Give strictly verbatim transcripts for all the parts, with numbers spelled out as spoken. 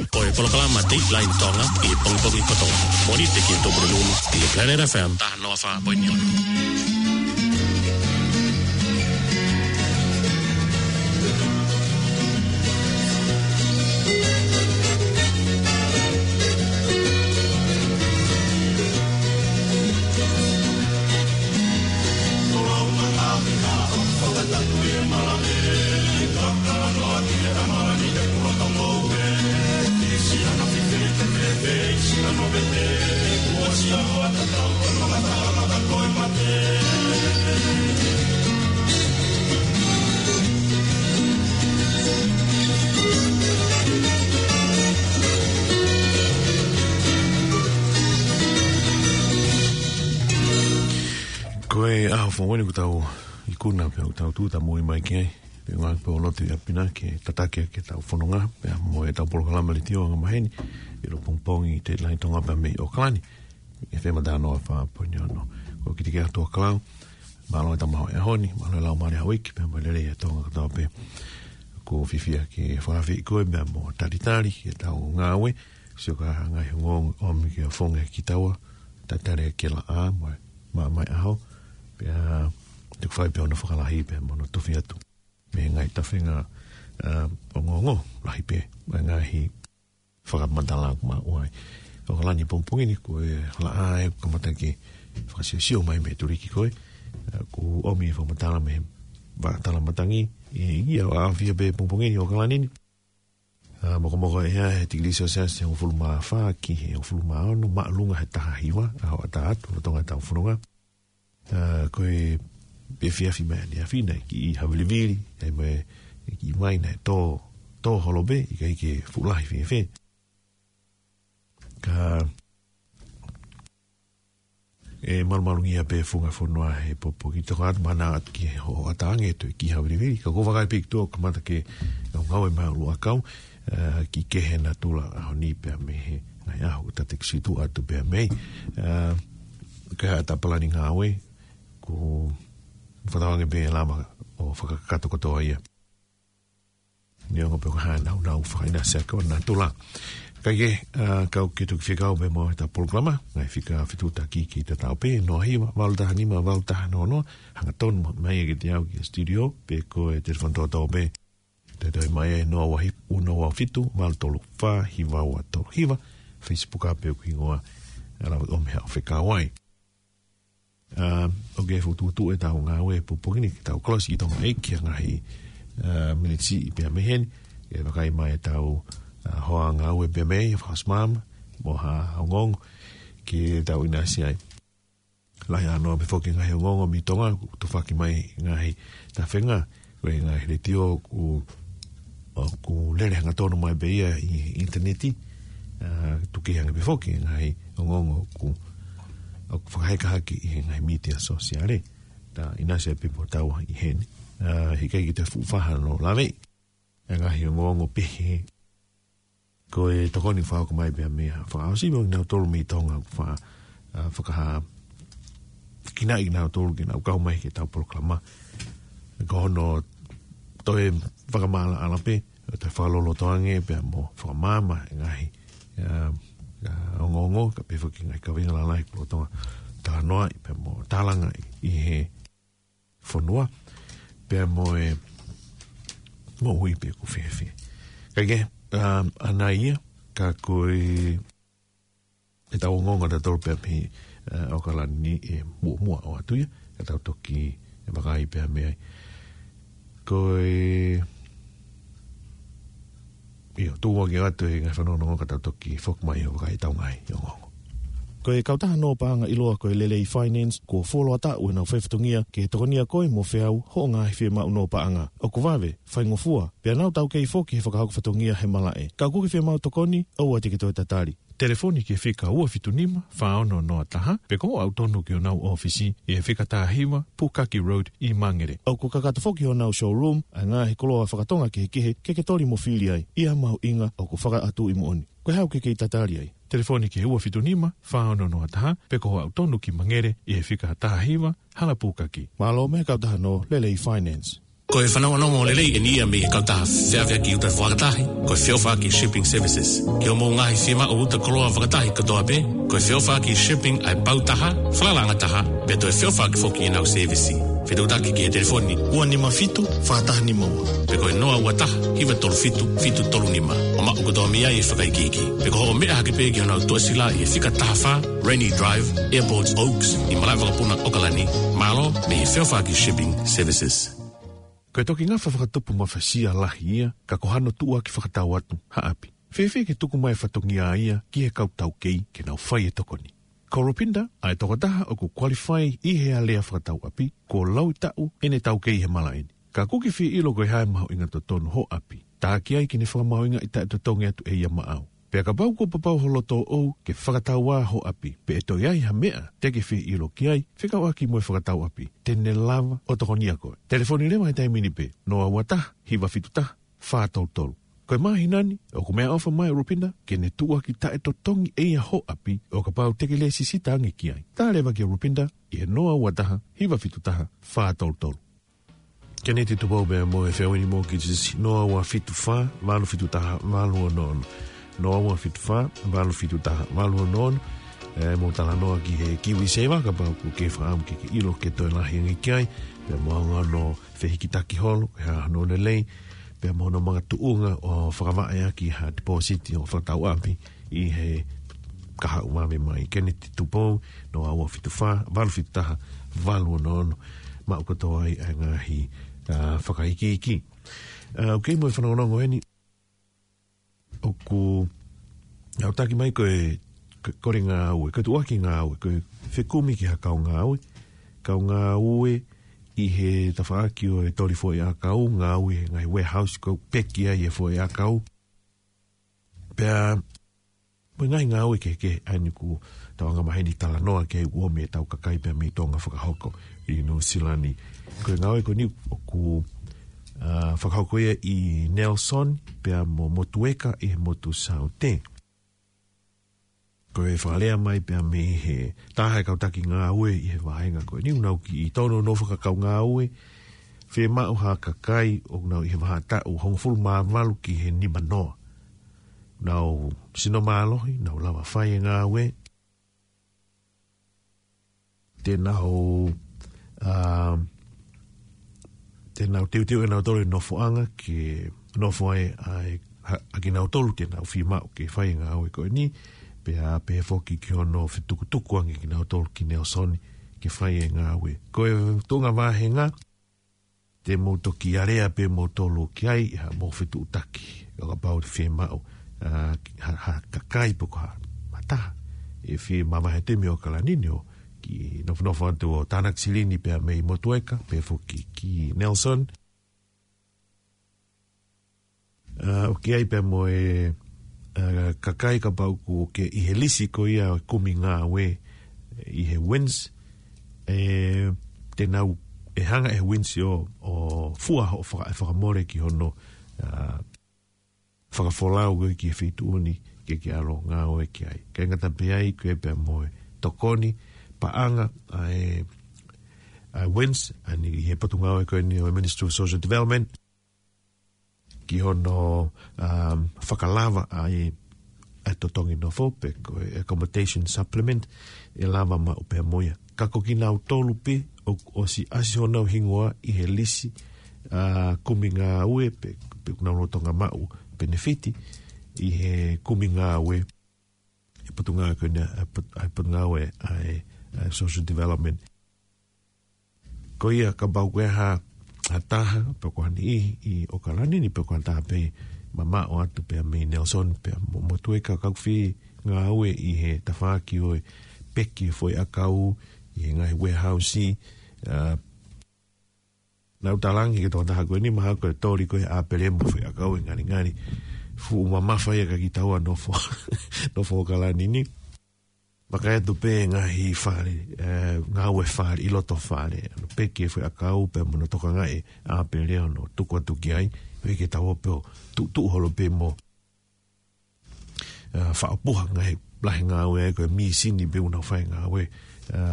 Ko e polokalama Dateline Tonga ʻi he pongipongi kotoa. Mōnite ki he Tuʻapulelulu ʻi he Planet F M taha noa fā poini ono. Ko e ʻaho foʻou ni ʻoku tau ikuna pea ʻoku tau tuʻutāmaki mai ki ai. Pea ʻoku ou lotu ʻi ʻapi na ke tataki ʻaki ʻetau fononga, pea mo ʻetau polokalama letiō angamaheni, ʻi he pongipongi ʻi Dateline Tonga pea mei ʻOkalani, F M taha noa fā poini ono. Ko Kitikeha Tuʻakalau, mālō e tau maʻu he ʻaho ni, mālō e Laumālie Hauiki, pea mo e lelei ʻa Tonga kotoa pē. ʻOku ou fiefia ke fakaafeʻi koe, pea mo talitali ki heʻetau ngāue, sio ki he ngaahi ongoongo ʻomi ke ʻofonga kitaua, talitali ke laʻā mo e maʻamaʻa ʻaho, pea te u fai pē hono fakalahi pea mo hono tofi atu mei he ngaahi tafenga, ā, ongoongo lahi pē, mo e ngaahi fakamatala ʻoku maʻu ai. ʻOkalani pongipongi ni ko e laʻā ē ʻoku kamata ke fakasiosio mai mei he tuliki ko ē, ā, ʻoku ʻomi e fakamatala mei he vaʻa tala matangi, ʻi he ʻaʻafi pē pongipongi ni ʻOkalani ni. Ā, mokomoko e ʻea he tikilī Selsiasi ʻe hongofulu mā fā ki he hongofulu mā ono, māʻolunga he taha hiva, ʻaho ʻatā atu, lolotonga ʻetau fononga. Ā, ko e efiafi mai ʻaneafi naʻe kiʻi havilivili, ʻa ia mo e kiʻi vai naʻe tō, tō holo pē, ʻikai ke fuʻu lahi fēfē. Ka ʻe malumalu ia pē funga fonua he pongipongi, toka atu mahalo atu ki he hoʻatā ange toe kiʻi havilivili. Ka ʻoku ou vakai pē ki tuʻa ʻoku kamata ke ngau ngāue mai ʻa ʻUluʻakau, ā, kiʻi kehe natula ʻaho ni pea mei he ngaahi ʻaho ʻoku tataki situ atu pea mei. Ā, ko e hā ʻeta palani ngāue, ʻoku fakatauange pē ʻe lava ʻo fakakakato kotoa ia. Neongo pe ko e hā ʻenau nāunau fakaʻinasi ʻaki ʻo natula. Kae kehe, ā, kau ke toki fekau pē mo ʻeta polokalama, ngaahi fika fetuʻutaki ki he tatau pē, noa hiva, valu taha nima, valu taha noa noa, hangatonu mai kiate au ki he studio, pe ko e telefoni tōtō pē, toe toe mai ʻe noa ua hiva, ua noa ua fitu, valu tolu fā, hiva ua tolu hiva, Facebook ā pē ʻoku hingoa, ā, lava ʻomi haʻo fekau ai. Ā, ʻoku fokotuʻutuʻu ʻetau ngāue pongipongi ni ke tau kolosi ki Tonga ʻEiki ʻa e ngaahi, ā, miniti siʻi pea mei heni, ke vakai mai ʻetau, ā, hoa ngāue pea mei, fakaʻosi maama, mo ha ongoongo, ke tau ʻinasi ai. Lahi ʻa noa pē foki ngaahi ongoongo mei Tonga, ʻoku tufaki mai ngaahi tafenga, ko e ngaahi letiō ʻoku, ʻoku lele hangatonu mai pē ia ʻi he ʻinitaneti, ā, tuku ange pē foki ngaahi ongoongo ʻoku, ʻoku fakaheka hake ʻi he ngaahi mītia sōsiale. Ta ʻinasi pē mo taua ʻi heni. Ā, he ʻikai ke toe fuʻu faʻa hano lave ʻa e ngaahi ongoongo pehē. Ko e tokoni fakahoko mai pea mei he fakaʻosi mo kinautolu mei Tonga ʻoku fa-, ā, fakahā, kinautolu ke nau kau mai ki heʻetau polokalama. Ko hono toe fakamaʻalaʻala pē, toe fakaloloto ange pea mo fakamaama e ngaahi, ā, ā, ongoongo, kae pehē foki ngaahi kaveinga lalahi ʻoku lolotonga talanoaʻi pea mo tālangaʻi ʻi he fonua, pea mo e moʻui pe ʻoku fēfē. Kae kehe, ā, ʻanai ia, ka ko e, ʻetau ongoongo ʻatautolu pea mei, ā, ʻOkalani ʻe muʻomuʻa ʻoatu ia, ka tau toki vakai pea mei ai. Ko e, ʻio, tuʻu ange atu e ngaahi fanongonongo ka tau toki foki mai ʻo vakai ʻetau ngaahi ongoongo. Ko e kautaha nō paʻanga ʻiloa ko e Lelei Finance, kuo fuoloa taʻu ʻenau faifatongia ke tokonia koe mo feau hoʻo ngaahi fiemaʻu nō paʻanga. ʻOku vave, faingofua, pea nau taukei foki he fakahoko fatongia he malaʻe. Ka ʻoku ke fiemaʻu tokoni, ʻoua te ke toe tatali. Telefoni ki he fika ua fitu nima, fā ono noa taha, pe ko hoʻo aʻu tonu ki honau ʻōfisi ʻi he fika taha hiva, Pukaki Road ʻi Mangere. ʻOku kakato foki honau showroom ʻa e ngaahi koloa fakatonga kehekehe ke ke toli mo fili ai, ʻi ha mahuʻinga ʻoku fakaʻatuʻi moʻoni. Ko e hā ʻoku ke kei tatali ai? Telefoni ki he ua fitu nima, fā ono noa taha, pe ko hoʻo aʻu tonu ki Mangere ʻi he fika taha hiva, Hala Pukaki. Mālō mei he kautaha nō Lelei Finance. Ko e fanongonongo lelei ʻeni ia mei he kautaha feʻaveʻaki uta fakatahi, ko e feʻofaʻaki shipping services. Ki hoʻomou ngaahi fiemaʻu uta koloa fakatahi kotoa pē, ko e feʻofaʻaki shipping ʻa e pau taha, falalaʻanga taha, pea toe feʻofaʻaki foki ʻenau sēvisi. Fetuʻutaki ki he telefoni ua nima fitu, fā taha nima ua. Pe ko e noa ua taha, hiva tolu fitu, fitu tolu nima. ʻO maʻu kotoa mei ai e fakaikiiki. Pe ko hoʻo meʻa hake pē ki honau tuʻasila ʻi he fika taha fā, Rainy Drive, Airport Oaks, ʻi Malaʻevakapuna, ʻOkalani. Mālō, mei he feʻofaʻaki shipping services. Ko e toki ngafa fakatupu mafasia lahi ia, ka ko hano tuʻuaki fakatau atu, ha ʻapi. Fēfē ke tuku mai e fatongia ia ki he kau taukei ke nau fai e tokoni. Ko Rupinda, ʻa e tokotaha ʻoku qualify ʻi he alea fakatau ʻapi, kuo laui taʻu ʻene taukei he malaʻe ni. Ka kuo ke fie ʻilo ko e hā e mahuʻinga totonu hoʻo ʻapi. Tā ki ai ke ne fakamahuʻingaʻi taʻetotongi atu ʻe ia maʻau. Pea kapau kuo papau ho loto ʻoʻou ke fakatau ā hoʻo ʻapi, pe ʻe toe ʻi ai ha meʻa te ke fie ʻilo ki ai, fekauʻaki mo e fakatau ʻapi, te ne lava ʻo tokonia koe. Telefoni leva he taimi ni pē, noa ua taha, hiva fitu taha, fā tolu tolu. Ko e māhina ni, ʻoku meʻaʻofa mai ʻa Rupinda ke ne tuʻuaki taʻetotongi ʻe ia hoʻo ʻapi, ʻo kapau te ke lēsisita ange ki ai. Tā leva kia Rupinda ʻi he noa ua taha, hiva fitu taha, fā tolu tolu. Keneti Tupou pea mo e Feoni Mortgages, noa ua fitu fā, valu fitu taha, valu ono ono. Noa ua fitu fā, valu fitu taha, valu ono ono. ʻE, mou talanoa ki he KiwiSaver, kapau ʻoku ke fakaʻamu ke ke ʻilo ke toe lahi ange ki ai, pea mo e anga hono fehikitaki holo, ʻe hā hono lelei, pea mo hono makatuʻunga ʻo fakavaʻe ʻaki ha deposit ʻo fakatau ʻapi ʻi he kahaʻu vave mai. Keneti Tupou, noa ua fitu fā, valu fitu taha, valu ono ono, maʻu kotoa ai ʻa e ngaahi, ʻa, fakaikiiki. ʻA, ʻoku kei mo e fanongonongo ʻeni, ʻoku, ʻa, ʻoku taki mai ko e, ko e kole ngāue, ko e tuʻuaki ngāue, ko e fekumi ki ha kau ngāue, kau ngāue ʻi he tafaʻaki ʻo e toli foʻi ʻakau, ngāue he ngaahi warehouse ko e peki ai e foʻi ʻakau. Pea, mo e ngaahi ngāue kehekehe ʻa eni ʻoku tau angamaheni talanoa ki ai ʻoku ʻomi ʻetau kakai pea mei Tonga fakahoko ʻi Nuʻusila ni. Ko e ngāue ko eni ʻoku, ʻa, fakahoko ia ʻi Nelson, pea mo Motueka ʻi he motu Saute. Ko e fakalea mai pea mei he taha e kau taki ngāue ʻi he vahenga ko eni, ʻoku nau kiʻi tonu hono fakakaungāue, fiemaʻu ha kakai ʻoku nau ʻi he vahaʻa taʻu hongofulu mā valu ki he nima noa. Nau sino mālohi, nau lava fai e ngāue. Te nau, ʻa, te nau teuteu ʻe nautolu e nofoʻanga ke nofo ai ʻa e, ha, ʻa kinautolu te nau fiemaʻu ke fai e ngāue ko eni, pea pehē foki ki hono fetukutuku ange kinautolu ki Nelson ke fai e ngāue. Ko e tuʻunga vahenga, te mou toki alea pē moutolu ki ai, ʻi haʻamou fetuʻutaki. ʻO kapau te fiemaʻu, ʻa, ha, ha kakai pe ko ha, ha taha ʻe fie mavahe atu mei ʻOkalani ni ʻo kiʻi nofonofo atu ʻo tānaki silini pea mei Motueka, pea foki ki Nelson. ʻA, ʻoku ʻi ai pea mo e, ʻa, kakai kapau ʻoku ke ʻi he lisi ko ia ʻo e kumi ngāue ʻi he WINZ, ʻe, te nau, ʻe hanga ʻe he WINZ ʻo, ʻo fua hoʻo faka-, fakamole ki hono, ʻa, fakafolau koe ki he feituʻu ni ke ke ʻalu ʻo ngāue ki ai. ʻIkai ngata pē ai, ʻoku ʻi ai pea mo e tokoni paʻanga ʻa e, ʻa e WINZ, ʻa eni ʻi he potungāue ko eni ʻo e Ministry of Social Development, ki hono, um, fakalava ʻa e, ʻa e totongi nofo pe ko e accommodation supplement ʻe lava maʻu pea mo ia. Ka ko kinautolu pē ʻoku ʻosi ʻasi honau hingoa ʻi he lisi, ʻa, kumi ngāue pe, pe ʻoku nau lolotonga maʻu penefiti ʻi he kumi ngāue ʻa e potungāue ko eni, ʻa e pot-, ʻa e potungāue ʻa e, ʻa e social development. Ko ia kapau ko e hā ha taha, pe ko ha niʻihi ʻi ʻOkalani ni pe ko ha taha pē mamaʻo atu pea mei Nelson pea mo, Motueka ka ʻoku fie ngāue ʻi he tafaʻaki ʻo e peki e foʻi ʻakau ʻi he ngaahi warehouse, ʻa, nau talangi ke tokotaha ko eni mahalo ko e toli ko e ʻāpele mo e foʻi ʻakau ʻe ngalingali. Fuʻu mamafa ia kia kitaua nofo, nofo ʻOkalani ni. Vakai atu pē ngaahi fale, ʻe, ngāue fale, ʻi loto fale. ʻA hono peki e foʻi ʻakau pea mo hono tokangaʻi e ʻāpele ʻo hono tuku atu ki ai. Pea ke tau pē ʻo tuʻutuʻu holo pē mo, ʻe, ʻa, faʻa puha ngaahi lahi ngāue ai ko e mīsini pē ʻoku nau fai ngāue, ʻa,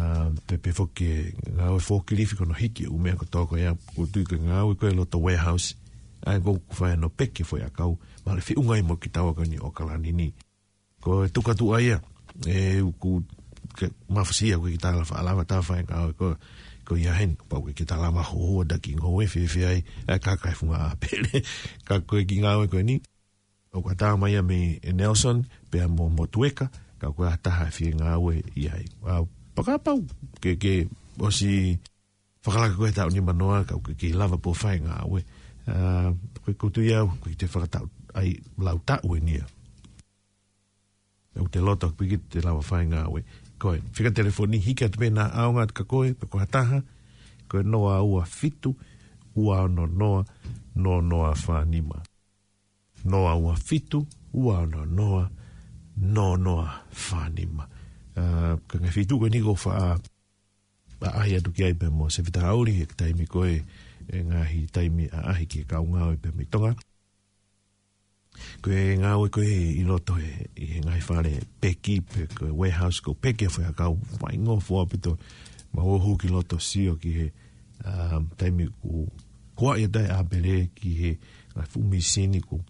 pe, pe foki e ngāue forklift ko hono hiki ʻū meʻa kotoa ko ia, ʻoku ou tui ko e ngāue ko e loto warehouse, ʻa ia ʻoku fai hono peki foʻi ʻakau, mahalo ʻe feʻunga ai mo kitaua ko eni ʻOkalani ni. Ko e tuʻu atu ʻa ia, ʻe ʻoku ke mafasia ko e kiʻi tala faʻa lava tā fai ngāue ko, ko ia heni, pau ke kiʻi tala ma ho, ho, taki ngāue fēfē ai, ʻa e kaka e funga ʻāpele, ka ko e kiʻi ngāue ko eni, ʻoku ʻatā mai ia mei Nelson, pea mo Motueka, ka ko e taha e fie ngāue ia ai. ʻA, pea kapau, ke, ke, ʻosi fakalaka ko e taʻu nimanoa, ka ke, ke lava pē ʻo fai ngāue. ʻA, ko e kutu ia, ko e te fakataʻu, ʻai, lau taʻu eni ia. ʻOku te loto piki te lava fai ngāue. Ko e, fika telefoni hiki atu pē na ʻaonga atu ka ko e, pe ko ha taha, ko e noa ua fitu, ua ono noa, noa noa fā nima. Noa ua fitu, ua ono noa, noa noa fā nima. ʻA, ka ngaahi feituʻu ko eni ʻoku faʻa, ʻaʻahi atu ki ai pea mo Sefita Hauli, he taimi ko e, e ngaahi taimi ʻaʻahi ki he kau ngāue pea mei Tonga. Ko e ngāue ko e ʻi loto he, ʻi he ngaahi fale peki, pe ko e warehouse ko e peki ʻa e foʻi ʻakau, faingofua pē ʻo mau ō hū ki loto sio ki he, um, taimi ʻoku huaʻi atu ai ʻāpele ki he ngaahi fuʻu mīsini ko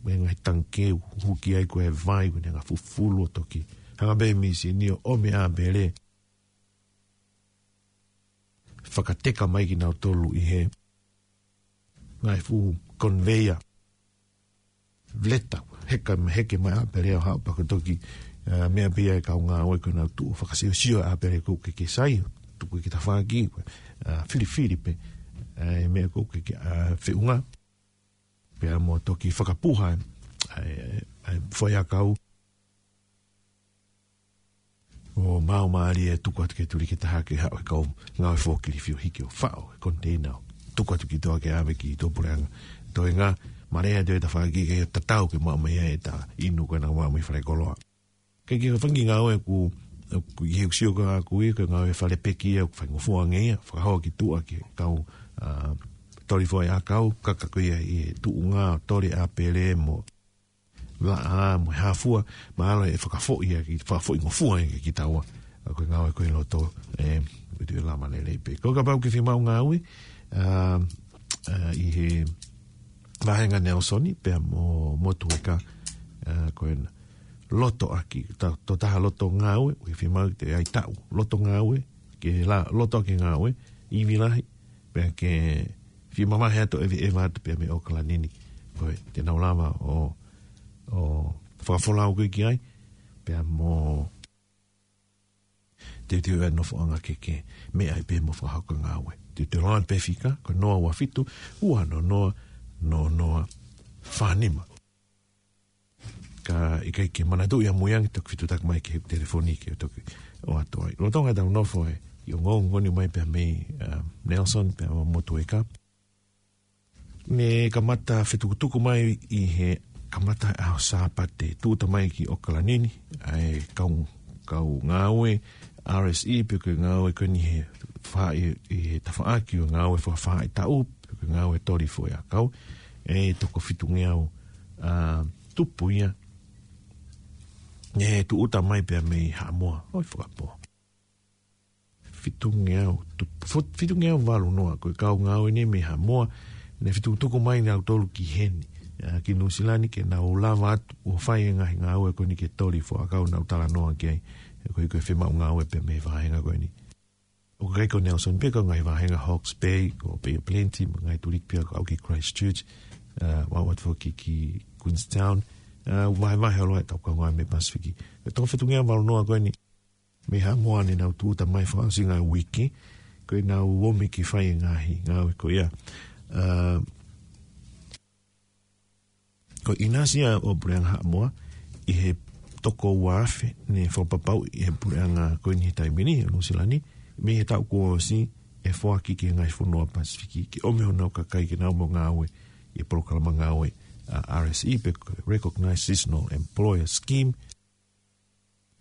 e ngaahi tangikē ʻoku huki ai ko e vai, ko e ngaahi fufulu ʻo toki hanga pē mīsini ʻo ʻomi ʻāpele. Fakateka mai kinautolu ʻi he ngaahi fuʻu conveyor. Leta, heka, heke mai ʻāpele ʻo haʻu pea ko e toki, ʻa, meʻa pē ia e kau ngāue ko ʻenau tuʻu fakasiosio ʻāpele ko e ke sai, tuku ki tafaʻaki, ʻa, filifili pē, ʻa, e meʻa ko e ke, ʻa, feʻunga. Pea mo toki fakapuha, ʻa, ʻa, ʻa e foʻi ʻakau. ʻO mau mālie tuku atu ke tuli ke taha ke haʻu he kau ngāue forklift ʻo hiki ʻo faʻo he container ʻo tuku atu ki toa ke ʻave ki tuʻapuleʻanga. Toenga, mālie atu e tafaʻaki ke tatau ke maʻu mai e ta inu ko ena maʻu mai fale koloa. Ke ke fangi ngāue ʻoku, ʻoku ʻi he ʻoku sio ko ʻaku ia ko e ngāue fale peki ia ʻoku faingofua ange ia, fakahoa ki tuʻa ki he kau, ʻa, toli foʻi ʻakau, kaka ko ia ʻi he tuʻunga, toli ʻāpele mo laʻā mo e hā fua, mahalo ʻe fakafoʻi ia ki, fakafoʻi ngofua ia ki taua. ʻA, ko e ngāue ko e loto, ʻe, ʻe tuʻu ʻe lama lelei pē. Ko e kapau ke fiemaʻu ngāue, ʻa, ʻa, ʻi he vahenga Nelson pea mo, Motueka, ʻa, ko ena. Loto ʻaki, ta, to taha loto ngāue, ʻoku fiemaʻu ke ʻai taʻu. Loto ngāue, ke la, loto ʻaki ngāue, ivi lahi, pea ke fie mamahi atu ʻeveʻeva atu pea mei ʻOkalani ni. Ko e, te nau lava ʻo, ʻo fakafolau ko ē ki ai, pea mo teuteu e nofoʻanga ke ke meʻa ai pē mo fakahoko ngāue. Teuteu loa pē fika, ko e noa ua fitu, ua ono noa, noa noa fā nima. Ka ʻikai ke manatuʻi ʻamui ange toki fetuʻutaki mai ki he telefoni ke toki ʻoatu ai. Lolotonga ʻetau nofo ʻi he ongoongo ni mai pea mei, um, Nelson pea mo Motueka. Ne kamata fetukutuku mai ʻi he kamata ʻaho Sāpate, tūʻuta mai ki ʻOkalani ni, ʻa e kau, kau ngāue R S E pe ko e ngāue ko eni he fā ʻi, ʻi he tafaʻaki ʻo e ngāue fakafāʻitaʻu, pe ko e ngāue toli foʻi ʻakau, ʻe toko fitungeau, ʻa, tupu ia. ʻE tūʻuta mai pea mei Haʻamoa, ʻoi fakapō. Fitungeau, tu-, fo-, fitungeau valu noa, ko e kau ngāue ni mei Haʻamoa, ne fetukutuku mai nautolu ki heni, ʻa, ki Nuʻusila ni ke nau lava atu, ʻo fai e ngaahi ngāue ko eni ke toli foʻi ʻakau naʻa ku talanoa ki ai, ko e, ko e fiemaʻu ngāue pea mei he vahenga ko eni. ʻOku ʻikai ko Nelson pē, ko e ngaahi vahenga Hawke's Bay, ko Bay of Plenty, mo e ngaahi tuliki pē ia ko au ki Christchurch, ʻa, ʻo aʻu atu foki ki Queenstown, ʻa, vahevahe ʻo loa ʻetau kau ngāue mei Pasifiki. Ko e toko fitungeau valu noa ko eni, mei Haʻamoa ne nau tūʻuta mai fakaʻosinga e uike, ko ʻenau ō mai ke fai e ngaahi ngāue ko ia. ʻA, ko e ʻinasi ia ʻo e Puleʻanga Haʻamoa, ʻi he toko ua afe ne fakapapauʻi ʻe he puleʻanga ko eni he taimi ni, ʻo Nuʻusila ni, mei he taʻu kuo ʻosi ʻe foaki ki he ngaahi fonua Pasifiki, ke ʻomi honau kakai ke nau ō ʻo ngāue ʻi he polokalama ngāue, ʻa, R S E pe ko e Recognized Seasonal Employer Scheme,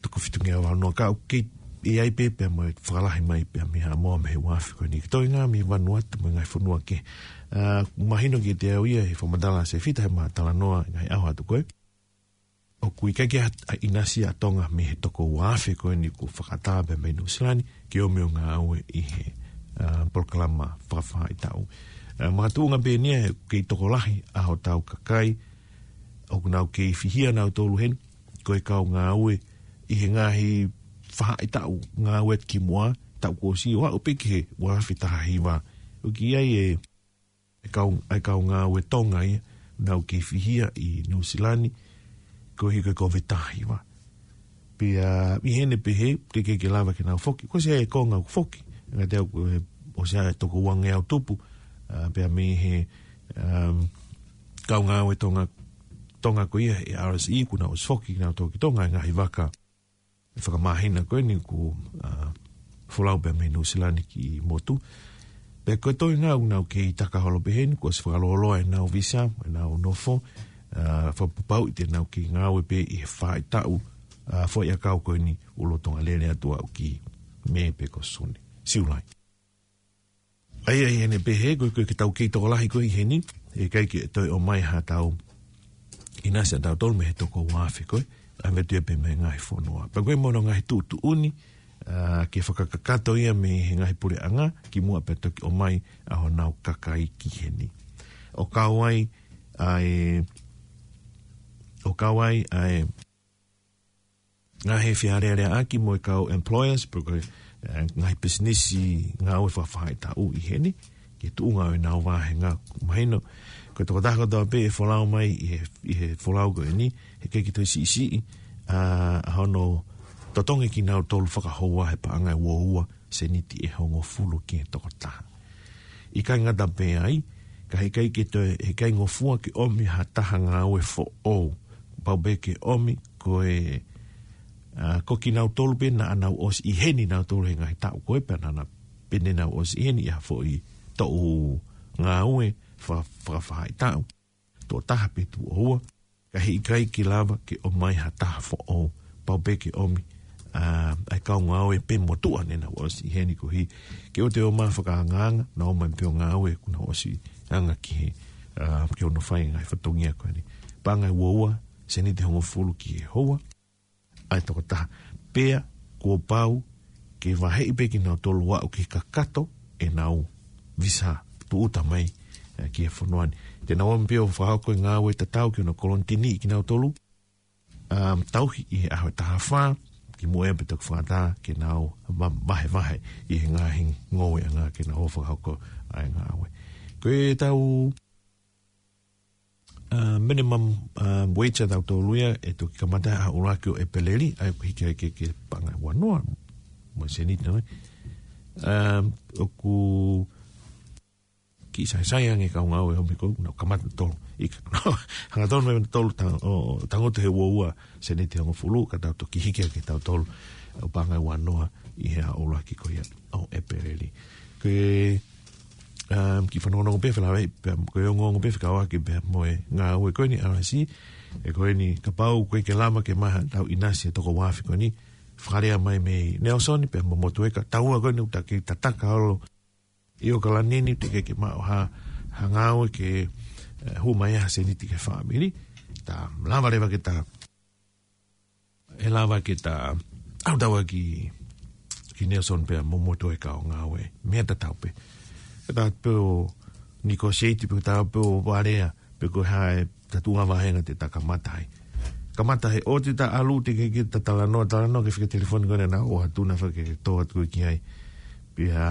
toko fitungeau valu noa ka ʻoku kei ʻi ai pē pea mo e fakalahi mai pea mei Haʻamoa mei he ua afe ko eni. Ko e toenga mei Vanuatu mo e ngaahi fonua kehe. ʻA, mahino kiate au ia he fakamatala ʻa Sefita he ʻema talanoa ngaahi ʻaho atu ko ē. ʻO Kuo ʻikai ke ʻa-, ʻa ʻinasi ʻa Tonga mei he toko ua afe ko eni kuo fakaʻatā pē mei Nuʻusila ni, ke ō mai ʻo ngāue ʻi he, ā, polokalama fakafaʻahitaʻu. Ā, makatuʻunga pē eni ʻoku kei tokolahi ʻa hotau kakai, ʻoku nau kei fihia nautolu heni, ko e kau ngāue ʻi he ngaahi faʻahitaʻu ngāue ki muʻa, taʻu kuo ʻosi ʻo aʻu pē ki he ua afe taha hiva. ʻOku ʻi ai e, e kau, e kau ngāue Tonga ia, nau kei fihia ʻi Nuʻusila ni, koeʻuhi ko e Kōviti taha hiva. Pea, ʻi heʻene pehē, teʻeki ke lava ke nau foki. Ko e sio ki he konga ʻoku foki. Ngata ʻoku, ʻosi ʻa e toko uangeau tupu, ā, pea mei he, um, kau ngāue Tonga, Tonga ko ia, e R S E, kuo nau ʻosi foki, nau toki Tonga, e ngaahi vaka. Fakamāhina ko eni kuo, ā, folau pē mei Nuʻusila ni ki motu. Pea ko e toenga ʻoku nau kei taka holo pē heni, kuo ʻosi fakalōloa ʻenau visa, ʻenau nofo, ā, fakapapauʻi te nau kei ngāue pē ʻi he faʻahitaʻu, ā, foʻi ʻakau ko eni ʻo lolotonga lele atu ʻo aʻu ki Mē pe ko Sune. Siulai. ʻA ia ʻi heʻene pehē, ko e, ko e ke tau kei tokolahi ko ē ʻi heni, ʻe ʻikai ke toe ʻomai ha tau ʻinasi ʻa tautolu mei he toko ua afe ko ē, ʻa e meʻa ʻoku tuʻu pē mei he ngaahi fonua. Pea ko e mono ngaahi tuʻutuʻuni, ā, ke fakakakato ia mei he ngaahi puleʻanga, ki muʻa pea toki ʻomai ʻa honau kakai ki heni. ʻO kau ai, ʻa e, ʻo kau ai, ʻa e, ngaahi fealēleaʻaki mo e kau employers, pe ko e, ē, ngaahi pisinisi ngāue fakafaʻahitaʻu ʻi heni, ki he tuʻunga ʻo ʻenau vāhenga mahino. Ko e tokotaha kotoa pē ʻe folau mai ʻi he, ʻi he folau ko eni, heʻikai ke toe siʻisiʻi, ā, ʻa hono totongi kinautolu fakahoua he paʻanga ʻe ua ua, seniti ʻe hongofulu ki he tokotaha. ʻIkai ngata pē ai, ka heʻikai ke toe, heʻikai ngofua ke ʻomi ha taha ngāue foʻou. Pau pē ke ʻomi ko e, ā, ko kinautolu pē naʻa nau ʻosi ʻi heni nautolu he ngaahi taʻu ko ē pea naʻa na pehē naʻa nau ʻosi ʻi heni ʻi ha foʻi toʻu ngāue fa-, fakafaʻahitaʻu. Tuʻo taha pe tuʻo ua, ka heʻikai ke lava ke ʻomai ha taha foʻou, pau pē ke ʻomi, ā, ʻa e kau ngāue pē motuʻa naʻa nau ʻosi ʻi heni koeʻuhi, ke ʻoua te ʻomai fakaangaanga, nau ō mai pē ʻo ngāue kuo nau ʻosi anga ki he, ā, ke ō ʻo fai e ngaahi fatongia ko eni. Paʻanga ʻe ua ua, seniti ʻe hongofulu ki he houa, ʻa e tokotaha. Pea kuo pau ke vaheʻi pē kinautolu ʻo aʻu ki he kakato ʻenau visa tūʻuta mai, ē, ki he fonua ni. Te nau ō mai pē ʻo fakahoko e ngāue tatau ki hono kolonitini kinautolu, um, tauhi ʻi he ʻaho ʻe taha fā, ki muʻa pea toki fakaʻatā ke nau va-, vahevahe ʻi he ngaahi ngoueʻanga ke nau fakahoko ʻa e ngāue. Ko e tau ā, minimum, ā, wage ʻa tautolu ia, ʻe toki kamata ʻa e ʻuluaki ʻo ʻEpeleli, ʻa ia ʻoku hiki ai ki he, ki he paʻanga ʻe ua noa, mo e seniti, nē. Ā, ʻoku kiʻi saisai ange kau ngāue ʻo miko, nau kamata tolu. ʻIkai, hangatonu mei tolu ta-, ʻo, tangutu he ua ua, seniti ʻe hongofulu, ka tau toki hiki ai ki he tautolu, ʻo paʻanga ʻe ua noa, ʻi he ʻuluaki ko ia, ʻo ʻEpeleli. Ko e, um, kiʻi fanongonongo pē felāveʻi, pea ko e ongoongo pē fekauʻaki pea mo e ngāue ko eni R S E, ʻe ko eni kapau ʻoku ʻikai ke lava ke maʻu ha tau ʻinasi ʻa e toko ua afe ko eni, fakalea mai mei Nelson pea mo Motueka, taua ko eni ʻoku ta kei tataka holo ʻi ʻAokalani ni, teʻeki ke maʻu ha, ha ngāue ke, ē, hū mai ha seniti ki he fāmili, ta lava leva ke ta ʻe lava ke ta ʻalu taua ki, ki Nelson pea mo Motueka ʻo ngāue. Meʻa tatau pē. Ke ta pē ʻo negotiate pē, ta pē ʻo alea, pe ko e hā e tuʻunga vāhenga te ta kamata ai. Kamata he ʻoua te ta ʻalu teʻeki ke ta talanoa, talanoa ki he fika telefoni ko ena naʻa ʻoatu naʻa faʻa ke tō atu ki ai. Pea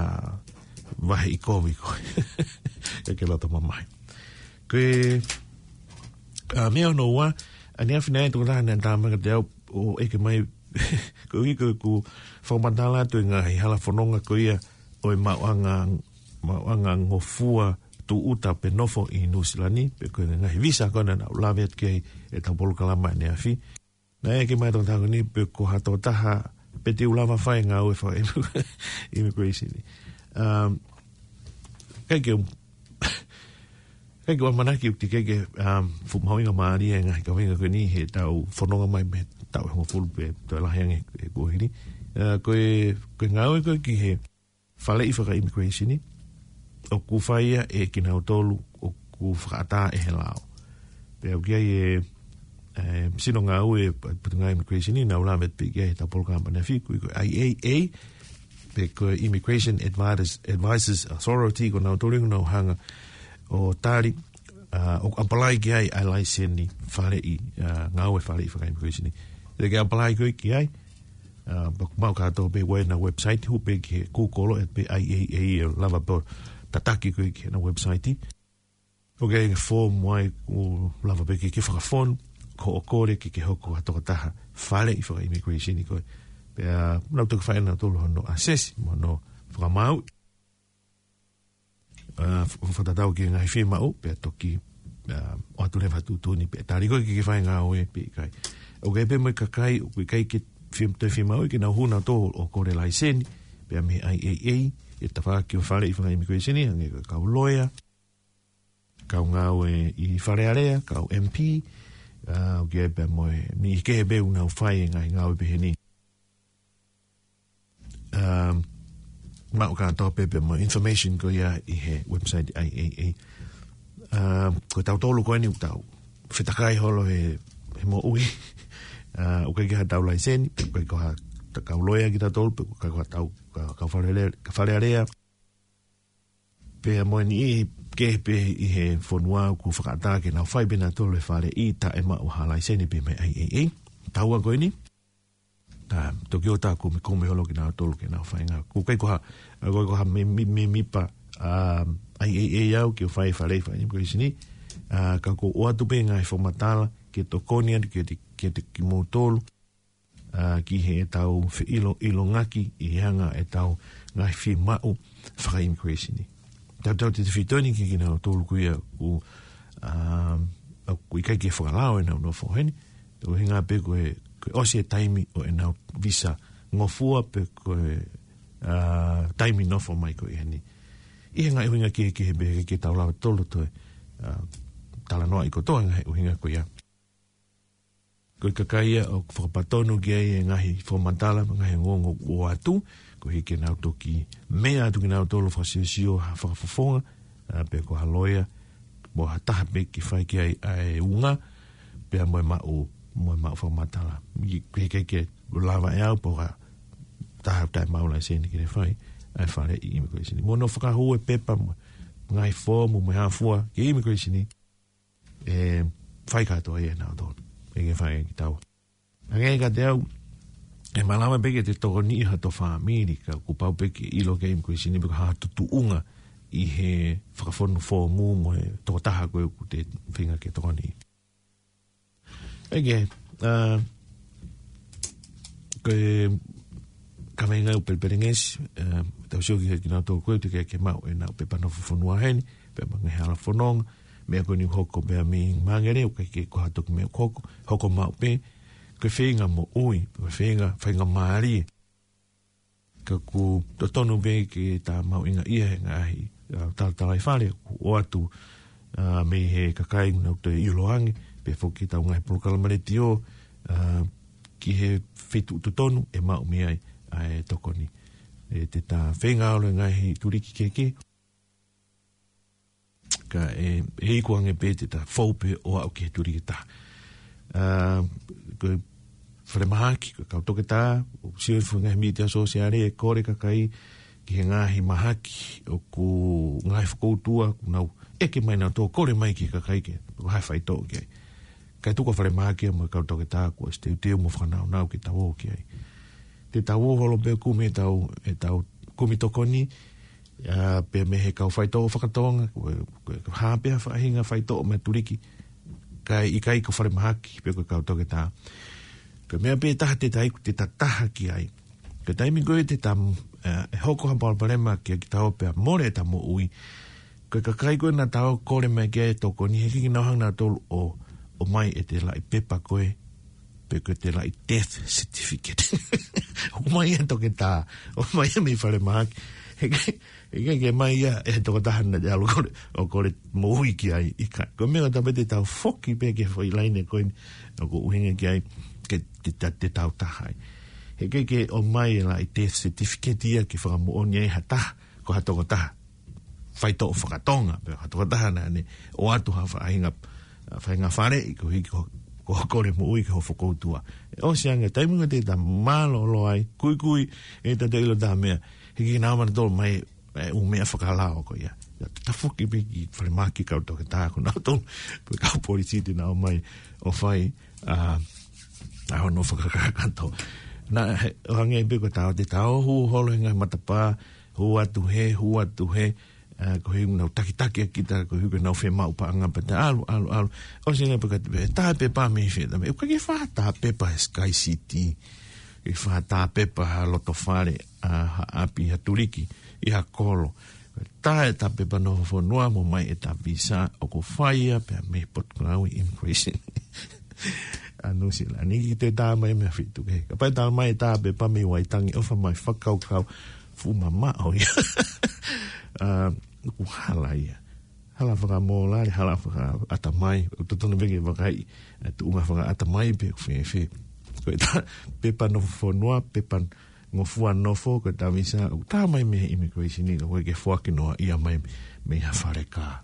vaheʻi kovi ko ē. Ke ke loto mamahi. Ko e, ā, meʻa hono ua, ʻaneafi naʻe tokotaha naʻe tā mai kiate au ʻo ʻeke mai, koeʻuhi ko ʻeku fakamatala atu e ngaahi hala fononga ko ia ʻo e maʻuʻanga, maʻuʻanga ngofua tūʻuta pe nofo ʻi Nuʻusila ni, pe ko e ngaahi visa ko ena naʻa ku lave atu ki ai ʻi heʻetau polokalama ʻaneafi. Naʻe ʻeke mai e tokotaha ko eni pe ko ha tokotaha pe te u lava fai e ngāue faka-, immigration ni. Um, ʻikai ke, ʻikai ke u ʻamanaki ʻoku teʻeki ke, um, fuʻu mahuʻinga mālie e ngaahi kaveinga ko eni heʻetau fononga mai mei he taʻu ʻe hongofulu pe toe lahi ange he kuohili. Uh, ko e, ko e ngāue ko ē ki he faleʻi faka-immigration ni, ʻoku fai ia ʻe kinautolu ʻoku fakaʻatā ʻe he lao. Pea ʻoku ʻi ai e, ʻE, sino ngāue ʻa e Potungāue Immigration ʻi, naʻa nau lave pē ki ai he ʻetau polokalama ʻanefē, ko e, ko e I A A, pe ko e Immigration Advisors, Advisors Authority, ko nautolu ʻoku nau hanga ʻo tali, ʻa, ʻo apply ki ai ʻa e laiseni faleʻi, ʻa, ngāue faleʻi faka-immigration ʻi. Te ke apply koe ki ai, ʻa, pea ʻoku maʻu kātoa pē ʻi heʻenau website, hū pē ki he Google ʻe pē I A A ʻe lava pē ʻo tataki koe ki heʻenau website. ʻOku ʻi ai e form ʻoku lava pē ke ke fakafonu, ko hoʻo kole ke ke hoko ko ha tokotaha faleʻi faka-immigration ʻi koe. Pea nau toki fai ʻe nautolu hono assess, mo hono fakamaau. ʻA, f-, fakatatau ki he ngaahi fiemaʻu, pea toki, ʻa, ʻoatu leva ha tuʻutuʻuni pe tali koe ke ke fai e ngāue pe ʻikai. ʻOku ʻi ai pē mo e kakai, ʻoku ʻikai ke fie-, toe fiemaʻu ke nau hū nautolu ʻo kole laiseni, pea mei he I A A, ʻi he tafaʻaki ʻo e faleʻi faka-immigration ʻi, hangē ko e kau loea, kau ngāue ʻi Fale Alea, kau M P, ʻa, ʻoku ʻi ai pē mo e niʻihi kehe pē ʻoku nau fai e ngaahi ngāue pehē ni. ʻA, maʻu kātoa pē pea mo e information ko ia ʻi he website I A A. ʻA, ko tautolu ko eni ʻoku tau fetakai holo he, he moʻui. ʻA, ʻoku ʻikai ke ʻi ai haʻatau laiseni, pe ʻoku ʻikai ko ha ta-, kau loea kitautolu, pe ʻoku ʻikai ko haʻatau, ka, kau Fale Alea, ka Fale Alea. Pea mo e niʻihi kehe pē ʻi he fonua ʻoku fakaʻatā ke nau fai pē nautolu e faleʻi taʻe maʻu ha laiseni pē mei he I A A. Taua ko eni, ʻa, toki ʻoatu e kumikumi holo kinautolu ke nau fai e ngāue. ʻOku ʻikai ko ha, ʻoku ʻikai ko ha me-, me-, mēmipa, ʻa, I A A au ke u fai e faleʻi faka-immigration ʻi, ʻa, ka ʻoku ou ʻoatu pē e ngaahi fakamatala ke tokoni atu kiate, kiate kimoutolu, ʻa, ki heʻetau feʻiloʻilongaki ʻi he anga ʻetau ngaahi fiemaʻu faka-immigration ʻi. Tautautefito eni ki he kinautolu ko ia ʻoku, ʻa, ʻoku ʻikai ke fakalao ʻenau nofo heni, ʻuhinga pē ko e, ko e ʻosi e taimi ʻo ʻenau visa ngofua pe ko e, ʻa, taimi nofo mai ko eni. ʻI he ngaahi ʻuhinga kehekehe pē ke tau lava tolo toe, ʻa, talanoaʻi kotoa e ngaahi ʻuhinga ko ia. Ko e kakai ia ʻoku fakapatonu ki ai e ngaahi fakamatala, ngaahi ongoongo ʻoku ʻoatu, koeʻuhi ke nau toki meʻa atu kinautolu ʻo fakasiosio ha fakafofonga, ʻa, pe ko ha loea, mo ha taha pē ke fai ki ai ʻa e unga, pea mo e maʻu, mo e maʻu fakamatala. ʻI, ʻikai ke lava ʻe au pe ko ha taha taʻe maʻu laiseni ke ne fai ʻa e faleʻi immigration. Mo hono fakahū e pepa mo e ngaahi foomu mo e hā fua ki he immigration ʻi, ʻe fai kātoa ia ʻe nautolu. ʻIkai ke fai ʻe kitaua. Hangē kiate au, ʻe malava pē ke te tokoniʻi hato fāmili, ka kuo pau pē ke ʻilo ʻe he immigration ʻi pe ko e hā hoto tuʻunga ʻi he fakafonu foomu mo e tokotaha ko ē ʻoku te feinga ke tokoniʻi. ʻIkai ke, ʻa, ko e kaveinga ʻoku pelepelengesi, ʻa, tau sio ki he kinautolu ko ē ʻoku teʻeki ke maʻu ʻenau pepa nofo fonua heni, pea mo e ngaahi hala fononga, meʻa ko eni ʻoku hoko pē mei Mangere, ʻoku ʻikai ke ko ha toki meʻa ʻoku hoko, hoko maʻu pē, ko e feinga moʻui, ko e feinga, feinga mālie. Ka ʻoku totonu pē ke ta mahuʻingaʻia he ngaahi, ʻa, talatalaifale, ʻoku ʻoatu, ʻa, mei he kakai ʻoku nau toe ʻilo ange, pea foki ʻetau ngaahi polokalama letiō, ʻa, ki he feituʻu totonu ʻe maʻu mei ai ʻa e tokoni. ʻE te ta feinga ʻo ʻilo e ngaahi tuliki kehekehe. Ka ʻe, ʻe iku ange pē te ta fou pē ʻo aʻu ki he tuliki ʻe taha. ʻA, ko e falemahaki, ko e kau toketā, ʻoku sio he ngaahi mītia sōsiale ʻe kole e kakai ki he ngaahi mahaki ʻoku ngaahi fokoutua, ʻoku nau ʻeke mai nautolu, kole mai ki he kakai ke, ko e hā e faitoʻo ki ai. Kae tuku ʻa e falemahaki mo e kau toketā kuo ʻosi teuteu mo fakanaunau ke tau ō ki ai. Te tau ō holo pē ʻo kumi ʻetau, ʻetau kumi tokoni, ʻa, pea mei he kau faitoʻo faka-Tonga, ko e, ko e hā pē ha faʻahinga faitoʻo mei he tuliki, kae ʻikai ko e falemahaki pe ko e kau toketā. Ko e meʻa pē ʻe taha te ta iku, te ta taha ki ai. Ko e taimi ko ē te ta, ʻa, ʻe hoko ha palopalema kiate kitaua pea mole ʻeta moʻui, ko e kakai ko ē naʻa tau kole mai ki ai e tokoni, heʻikai ke nau hanga nautolu ʻo, ʻomai ʻete laʻi pepa ko ē, pe ko ʻete laʻi death certificate. ʻOmai ia ʻe he toketā, ʻomai ia mei he falemahaki. Heʻikai, heʻikai ke ʻomai ia ʻe he tokotaha naʻa te ʻalu ʻo kole, ʻo kole moʻui ki ai, ʻikai. Ko e meʻa ʻoku tau pehē te tau foki pē ki he foʻi laine ko eni, ʻoku ʻuhinga ki ai, ke te, te, te tau taha ai. Heʻikai ke ʻomai e laʻi death certificate ia ke fakamoʻoni ai ha taha, ko ha tokotaha faitoʻo faka-Tonga, pe ha tokotaha naʻa ne ʻoatu ha faʻahinga, faʻahinga faleʻi, koeʻuhi ko, ʻo kole moʻui ki ho fokoutua. ʻE ʻosi ange taimi ko ē te ta mālōlō ai, kuikui, ʻe ta te ʻilo ta meʻa, he ʻikai ke nau ō mai nautolu mai e ʻū meʻa fakalao ko ia. Tafoki pē ki falemahaki kau toketā ko nautolu, pe kau polisi te nau ō mai ʻo fai, ā, ʻa hono fakakakato. Naʻe, ʻo hangē pē ko e tau te tau hū holo he ngaahi matapā, hū atu hē, hū atu hē, ā, koeʻuhi nau takitaki ʻa kita, koeʻuhi ko ʻenau fiemaʻu paʻanga pē ta ʻalu, ʻalu, ʻalu. ʻOsi ange pē ka te pē, tā pepa mei fē, tā pepa, ʻoku ʻikai ke fai ha tā pepa he Sky City. ʻIkai ke fai ha tā pepa ha loto fale, ā, ha ʻapi, ha tuliki, ʻi ha kolo. Tā e tā pepa nofo fonua mo ʻomai e tā visa, ʻoku fai ia pē mei Potungāue Immigration. ʻA Nuʻusila ni, ʻikai ke tā mai mei ha feituʻu kehe. Kapau tā mai tā pepa mei Waitangi ʻofa mai fakakaukau fuʻu mamaʻo ia. Ā, ʻoku hala ia. Hala fakamōlale, hala fakaʻatamai, ʻoku totonu pē ke vakai, ē, tuʻunga fakaʻatamai pe ʻoku fēfē. Ko e tā pepa nofo fonua, pepa ngofua nofo, ko e tā visa, ʻoku tā mai mei he immigration ni, ka ʻoku ʻikai ke foaki noa ia mai mei ha fale kā.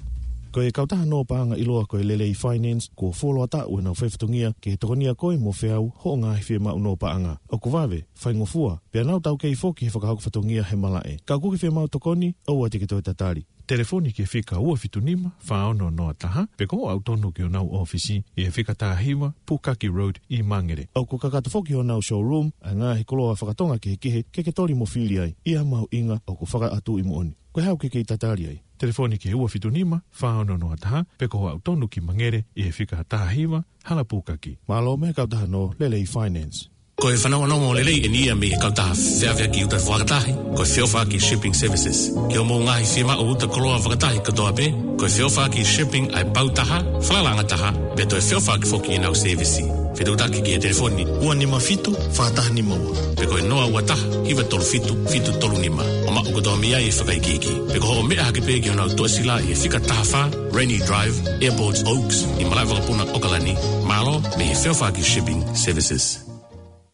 Ko e kautaha nō paʻanga ʻiloa ko e Lelei Finance, kuo fuoloa taʻu ʻenau fai fatongia ke tokonia koe mo feau hoʻo ngaahi fiemaʻu nō paʻanga. ʻOku vave, faingofua, pea nau taukei foki he fakahoko fatongia he malaʻe. Ka ʻoku ke fiemaʻu tokoni, ʻoua te ke toe tatali. Telefoni ki he fika ua fitu nima, fā ono noa taha, pe ko hoʻo aʻu tonu ki honau ʻōfisi ʻi he fika taha hiva, Pukaki Road ʻi Mangere. ʻOku kakato foki honau showroom ʻa e ngaahi koloa fakatonga kehekehe ke ke toli mo fili ai ʻi ha mahuʻinga ʻoku fakaʻatuʻi moʻoni. Ko e hā ʻoku ke kei tatali ai? Telefoni ki he ua fitu nima, fā ono noa taha, pe ko hoʻo aʻu tonu ki Mangere ʻi he fika taha hiva, Hala Pukaki. Mālō mei he kautaha nō Lelei Finance. Ko e fanongonongo lelei eni ia mei he kautaha feʻaveʻaki uta fakatahi, ko e Feʻofaʻaki Shipping Services. Ki hoʻomou ngaahi fiemaʻu uta koloa fakatahi kotoa pē, ko e Feʻofaʻaki Shipping ʻa e pau taha, falalaʻanga taha, pea toe feʻofaʻaki foki ʻenau sēvisi. Fetuʻutaki ki he telefoni ua nima fitu, fā taha nima ua. Pe ko e noa ua taha, hiva tolu fitu, fitu tolu nima. ʻO maʻu kotoa mei ai e fakaikiiki. Pe ko hoʻo meʻa hake pē ki honau tuʻasila ʻi he fika taha fā, Rainy Drive, Airport Oaks, ʻi malaʻe vakapuna ʻOkalani. Mālō mei he Feʻofaʻaki Shipping Services.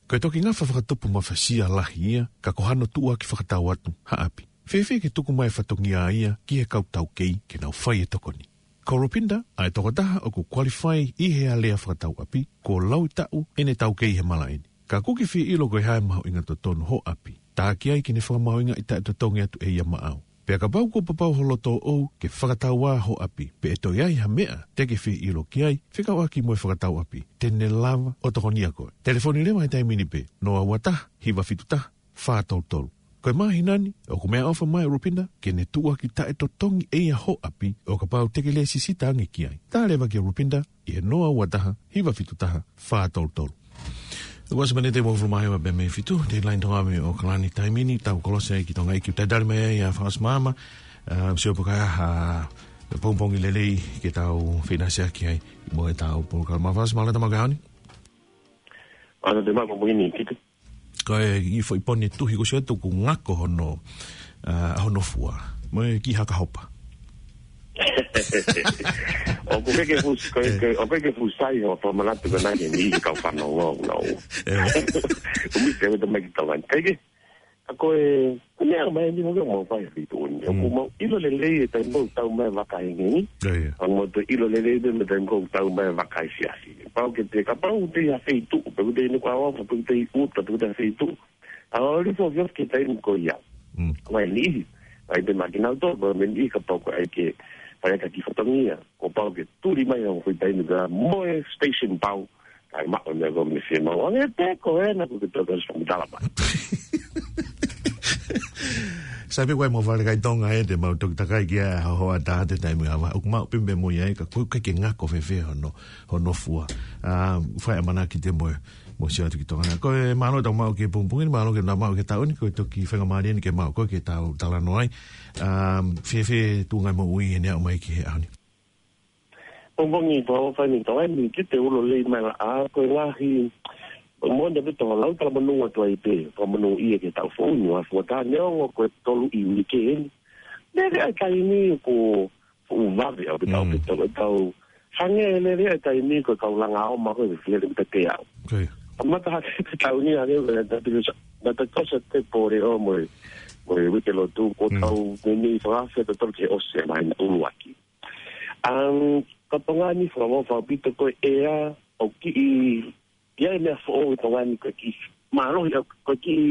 Ko e toki ngafa fakatupu mafasia lahi ia, ka ko hano tuʻuaki fakatau atu ha ʻapi. Fēfē ke tuku mai fatongia ia ki he kau taukei ke nau fai e tokoni? Ko Rupinda ʻa e tokotaha ʻoku qualify ʻi he alea fakatau ʻapi, kuo laui taʻu ʻene taukei he malaʻe ni. Ka ʻoku ke fie ʻilo ko e hā e mahuʻinga totonu hoʻo ʻapi. Tā ki ai ke ne fakamahuʻingaʻi taʻetotongi atu ʻe ia maʻau. Pea kapau kuo papau ho loto ʻoʻou ke fakatau ā hoʻo ʻapi, pe ʻe toe ʻi ai ha meʻa te ke fie ʻilo ki ai, fekauʻaki mo e fakatau ʻapi, te ne lava ʻo tokonia koe. Telefoni leva he taimi ni pē, noa ua taha, hiva fitu taha, fā tolu tolu. Ko e māhina ni, ʻoku meʻaʻofa mai ʻa Rupinda ke ne tuʻuaki taʻetotongi ʻe ia hoʻo ʻapi, ʻo kapau te ke lēsisita ange ki ai. Tā leva kia Rupinda ʻi he noa ua taha, hiva fitu taha, fā tolu tolu. Kuo ʻosi miniti ʻe uofulu mā hiva pē mei he fitu, deadline Tonga mei ʻOkalani taimi ni, tau kolosi ai ki Tonga ʻEiki, talitali mai ai ʻa Fakaʻosi Maama, ā, sio pe ko e hā e pongipongi lelei ke tau feinasiaki ai mo e tau polokalama. Fakaʻosi, mālō e tau maʻu ki he ʻaho ni. Mālō e tau maʻu ki he ʻaho ni, Kiki. Ko e kiʻi foʻi pone tuhi kuo ʻosi atu ʻoku ngako hono, ā, hono fua. Mo e kiʻi haka hopa. ʻOku ke ke fus-, ko e, ʻoku ke ke fusai hoʻo fakamanatu ko ena ke ni kau fanongo, no. ʻUmi ke weta mai ki Tonga ni. Kae kehe, ʻa ko e, ko e meʻa mai ni mo ke mau fai ʻi tuʻa ni. ʻOku mau ʻilo lelei e taimi ʻoku tau mai vaka ʻi heni. ʻA mau toe ʻilo lelei pē mo e taimi ʻoku tau mai vaka ʻi siasi. Pau ke te, kapau te ʻi ha feituʻu, pe ko te inu kua wafa, pe ko te ʻi uta, pe ko te feituʻu. ʻA o li fo fio ke taimi ko ia. Mai ni, mai te makina to, mai ni kapau ko ai ke, fai ka ki fatongia. Ko pau ke tuli mai ʻo fai taimi ka mo e station pau. Kai maʻu ne ko me fie mau. Ange te ko ena ko ke toko sa mitala mai. Sai pē ko e mo fale kai Tonga ē te mau toki takai ki a ho a ta te taimi ava. ʻOku mau pimbe mo ia ka ko ke ke ngako fēfē hono, hono fua. Ā, fai ʻamanaki te mo, mo sio atu ki Tonga. Ko e mālō tau maʻu ki he pongipongi ni, mālō ke na maʻu ki he taʻu ni, ko e toki faingamālie ni ke maʻu ko e ke tau talanoa ai. Ā, fēfē tuʻunga moʻui ʻene aʻu mai ki he ʻaho ni. Pongipongi, tau fai ni tau ai ni ki te ulo lei mai la a ko e ngaahi mo ne pito lau tala manu atu ai pē, tala manu ia ke tau fou ni, ua fua tā neongo ko e tolu ʻi uike eni. Lele ai taimi ko fuʻu vave au pito, pito, tau. Hangē lele ai taimi ko e kau langa o ma ko e lele pito te au. ʻA mata hake te tau ni hangē ko e na te kosa, na te kosa te pore o mo e, mo e uike lotu, ko tau meni fakafe te tolu ke ʻosi mai na uluaki. Um, Ka Tonga ni, fakavavevave ʻaupito ko e ʻea, ʻoku kiʻi, ʻi ai e meʻa foʻou ʻi Tonga ni ko e kiʻi mālohi, ʻa, ko e kiʻi,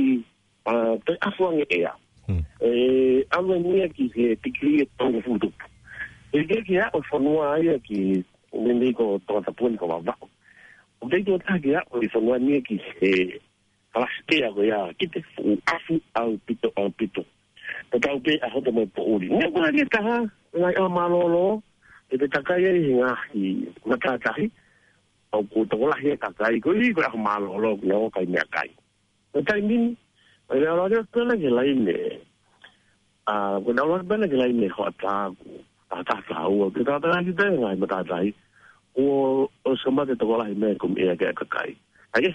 ʻa, toe ʻafu ange ʻea. Hmm. ʻE, ʻalu ange ia ki he tikilī ʻe tolungofulu tupu. ʻE, ke, ke aʻu e fonua ia ki, meimei ko Tongatapu ni ko Vavaʻu. ʻO kei tuʻo taha ke aʻu e fonua ni ia ki he kalasi ʻea ko ia, kiʻi fuʻu ʻafu ʻaupito, ʻaupito. Tatau pē ʻa hoto mo e poʻuli. Meʻa ko ē ʻe taha, ngaahi ʻaho mālōlō, ʻe te takai ai he ngaahi matātahi, ʻoku tokolahi e kakai, koeʻuhi ko e ʻaho mālōlō, ʻoku nau ō ʻo kai meʻakai. Ko e taimi ni, ʻe lea lea pē ʻa e laine, ʻa, ko e lea pē ʻa e laine hoʻatā, ʻa, taha taha ua, ke taha taha ki te ngaahi matātahi, ʻo, ʻosi kamata e tokolahi mei he kumi ʻea ki he kakai. ʻA ia,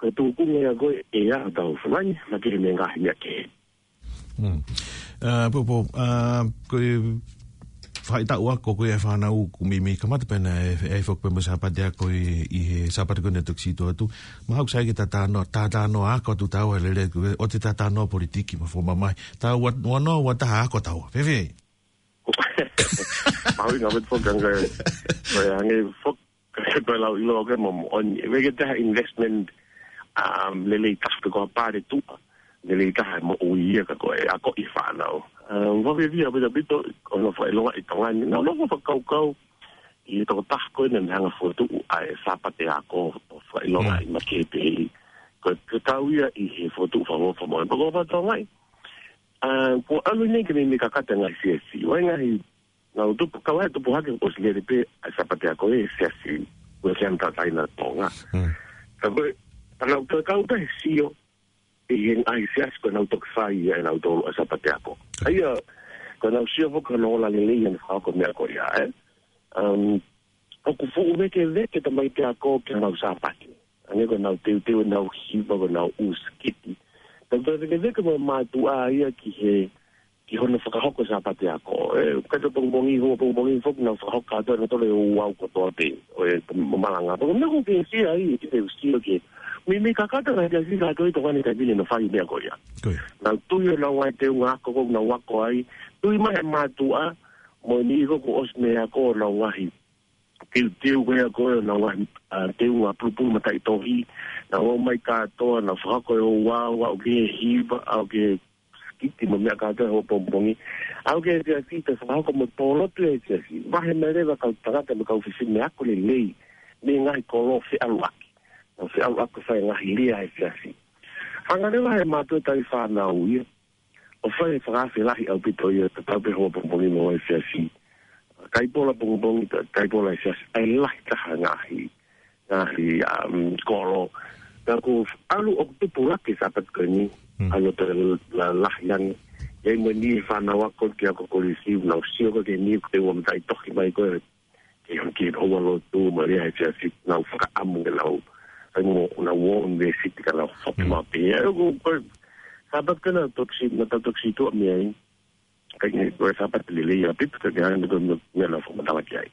ko e tūkunga ia ko ē ʻa hotau fonua ni, naʻa ke he meʻa ngaahi meʻa kehe. Hmm. ʻA, Popo, ʻa, ko e faʻahitaʻu ako ko ē ʻa e fānau ʻoku meimei kamata pē ʻena ʻe, ʻe foki pē mo e Sāpate ako ʻi, ʻi he Sāpate ko eni ʻoku toki sio atu. Mahalo ʻoku sai ke ta talanoa, ta talanoa ako atu taua lele, ko e, ʻoua te ta talanoa politiki mo e fakamamahi. Ta ua, ua noa, ua taha ako taua. Fēfē? Mahuʻinga ʻaupito foki ange, ko e ange foki, ko e lau ʻiloa ko ē mo moʻoni. ʻE veke taha investment, um, lelei taha pe ko ha pale tuʻa. Lelei taha mo ui ia ka ko e ako ʻi fānau. Um, vave via ʻaupito ʻaupito, ʻo nau fakaʻilonga ʻi Tonga ni. Nau nofo fakakaukau, ʻi he tokotaha ko ē naʻa ne hanga fokotuʻu ʻa e Sāpate ako ʻo fakaʻilonga Mm. ʻi Makehe pē. Ko e, ko e kau ia ʻi he fokotuʻu fakavavevave mo e. Pea ko Fakatonga ʻi, ʻa, kuo ʻalu eni ke meimei kakata ngaahi siasi. ʻOku ʻi ai ngaahi, nau tupu, kau ai tupu hake ʻosi lele pē ʻa e Sāpate ako ʻi he siasi. Ko e siasi tataina Tonga. Mm. Ka ko e, ka nau toe kau pē he sio, ʻi he ngaahi siasi ko ʻenau toki fai ia ʻenau tolu ʻa e Sāpate ako. ʻA ia, ko ʻenau sio foki ko ʻenau ola lelei ʻenau fakahoko meʻa ko ia, ē. Um, ʻoku fuʻu vekeveke tamaiki ako ki heʻenau Sāpate. Hangē ko ʻenau teuteu ʻenau hiva, ko ʻenau ʻū sikiti. Tau toe vekeveke mo e mātuʻa ia ki he, ki hono fakahoko Sāpate ako. ʻE, ka te pongipongi, hoʻo pongipongi foki nau fakahoko kātoa ʻenau tolu ʻe ua kotoa pē. ʻO e, malanga. Pea ko e meʻa ko ē ke sio ai, ke te sio ki he. Meimei kakata ngaahi siasi kātoa ʻi Tonga ni he taimi ni ʻenau fai meʻa ko ia. Ko ia. Nau tui ʻenau ngaahi teunga ako ko ē nau ako ai. Tui mai e mātuʻa, mo e niʻihi ko ē kuo ʻosi mei he ako ʻenau ngaahi teuteu ko ia ko ē ʻenau ngaahi, ʻa, teunga pulupulu mataʻitohi. Nau ō mai kātoa, nau fakahoko e ouau, ʻa, ʻoku ke hiva, ʻa, ʻoku ke sikiti mo e meʻa kātoa he hoʻo pongipongi. ʻA, ʻoku ke siasi, te fakahoko mo e pōlotu e siasi. Vahe mai leva kau tangata mo e kau fefine ako lelei mei he ngaahi kolo feʻaluʻaki. Nau feʻaluʻaki fai ngaahi lea he siasi. Hanga leva he mātuʻa ʻo tali fānau ia ʻo fai e fakaafe lahi ʻaupito ia, tatau pē hoʻo pongipongi mo e siasi. Kai pola pongipongi, kai pola e siasi, ʻa e lahi taha ngaahi, ngaahi, um, kolo. Ka ko e ʻalu ʻoku tupulaki Sāpate ko eni, Hmm. ʻalu ʻo toe la-, lahi ange. ʻI ai mo e niʻihi fānau ako ki he ako kolisi, nau sio ko ē ki he niʻihi ko ē ʻoku mataʻitohi mai ko ē, ke hon ki he houa lotu, mo e lea he siasi, nau fakaʻamu ke nau, ai mo, nau ō ʻunivēsiti ka nau fatu Hmm. maʻu pē. ʻA ia ko e, ko e, Sāpate ko ē naʻa tau toki si-, naʻa tau toki situʻa mei ai. Ka ʻi he, ko e Sāpate lelei ʻaupito, ka ʻi ai mo e, mo e, mo e nau fakamatala ki ai.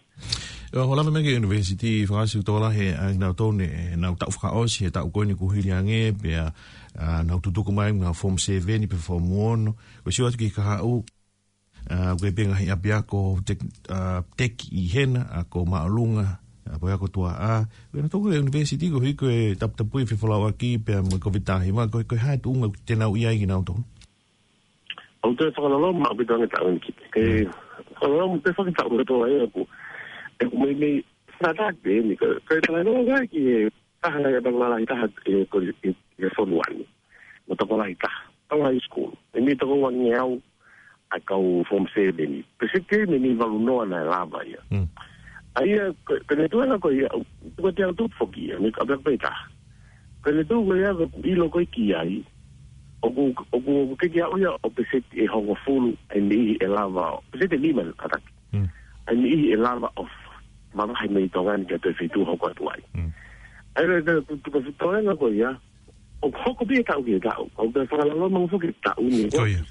ʻIo, ʻoku lava mai ki he ʻunivēsiti, fakaʻosi tokolahi ʻa kinautolu ʻenau taʻu fakaʻosi he taʻu ko eni kuo hili ange, pea, ʻa, nau tutuku mai, nau form seven, pe form one, ʻo sio atu ki he kahaʻu, ʻa, ko e pē ngaahi ʻapiako tek-, ʻa, teki ʻi hena, ʻa, ko māʻolunga, ʻa, ko e ako tuaʻā. Ko ʻenau toko e ʻunivēsiti ko e hiko e taputapui fefolauʻaki pea mo e Covid taha hiva, ko e, ko e hā e tuʻunga te nau ʻi ai kinautolu? ʻOku toe fakaloloma ʻaupito ange taʻu ni ki. Ke Mm. fakaloloma pē fakataʻu kotoa ʻe aku. ʻE ʻoku meimei, sa ta te ni, ka, ka e talanoa ki he taha ngai ʻapiako lalahi taha ʻi he ko-, ʻi, ʻi he fonua ni. Mo e tokolahi taha. Tau high school. ʻE meimei toko uangeau ʻa e kau form seven. Pea sio ki he meimei valu noa naʻe lava ia. Mm. ʻA ia, ko, ko ʻene tuʻunga ko ia, ko e te au tupu foki ia, meimei ʻapiako pē taha. Ko ʻene tuʻunga ko ia, ko e ʻilo ko ē ki ai, ʻoku, ʻoku, ʻoku ke ke aʻu ia ʻo peseti ʻe hongofulu, ʻa e niʻihi ʻe lava, peseti ʻe nima ʻa taki. Mm. ʻA e niʻihi ʻe lava ʻo mavahe mei Tonga ni ki ha toe feituʻu hoko atu ai. Mm. ʻA ia, ko e, ko e, ko e, ko e toenga ko ia, ʻoku hoko pē ia taʻu ki he taʻu, ʻoku toe fakaloloma foki taʻu ni, Ko ia.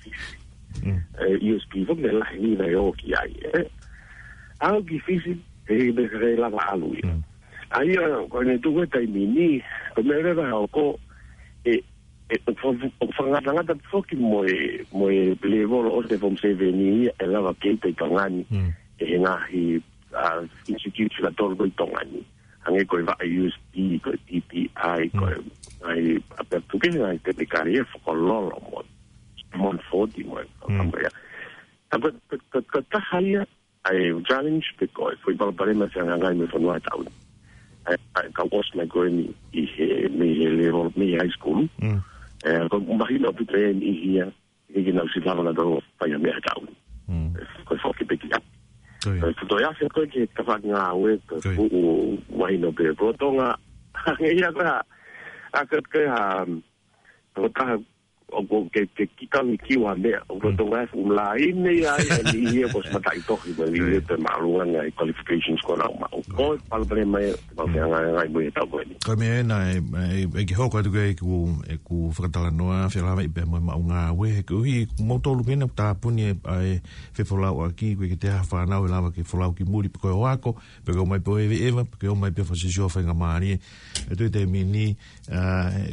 Mm. ʻE, U S P foki naʻe lahi ni naʻe ō ki ai, ē. ʻAlu ki Fisi, ʻe, ʻe, ʻe lava ʻalu ia. Mm. ʻA ia, ko ʻene tuʻu e taimi ni, ko e meʻa leva ʻoku, ʻe, ʻe, ʻoku fa-, ʻoku fakangatangata foki mo e, mo e lēvolo ʻo e form seven ia, ʻe lava ke ʻi Tonga ni, Mm. ʻe he ngaahi, uh, institute fika tolu ko ē ʻi Tonga ni. Hangē ko e vaʻe U S P, ko e T T I, ko e, ai, a pe tuke ai te te kari e fakalolo mo, mo forty mo, Mm. mo ia. Ka ko, ko, ko, ko taha ia, ai, challenge pe ko e, foʻi palopalema ʻe fehangahangai mo e fonua ʻi he taʻu ni. Ai, ai, ka ʻosi mai ko eni ʻi he, mei he level, mei he high school. Mm. E, ko mahino ʻaupito eni ʻi hia, ʻikai ke nau ʻosi lava nautolu ʻo fai ha meʻa he taʻu ni. Mm. E, ko e foki pē ki ai. Ko ia. E, ko e afe ko ē ke ka fakangāue, ko e Ko ia. fuʻu mahino pē ko Tonga. Hangē ia ko ē, a ka ko ē ha, um, ko taha, ʻoku ke, ke kikau ʻi kiu ha meʻa, ʻoku Mm. Tonga e fuʻu laine ia, e ni ia ko e mataʻitohi, ma ni Ko ia. ia te maluanga e qualifications ko ē naʻa mau. Ko e palopalema ia, mau Mm. fehangahangai mo ia he taʻu ko eni. Ko e meʻa ena e, e, e ke hoko atu ki ai ʻeku, ʻeku fakatalanoa, felāveʻi pea mo e maʻu ngāue, he koeʻuhi, ko moutolu pē ena ʻoku tāpuni e, ʻa e fefolauʻaki, ʻoku ʻikai ke toe ʻi ai ha fānau ʻe lava ke folau ki muli, pe ko e ʻohake, pe ko e ō mai pē ʻo eveʻeva, pe ko e ō mai pē ʻo fakasiosio faingamālie. E toe taimi ni, ʻa,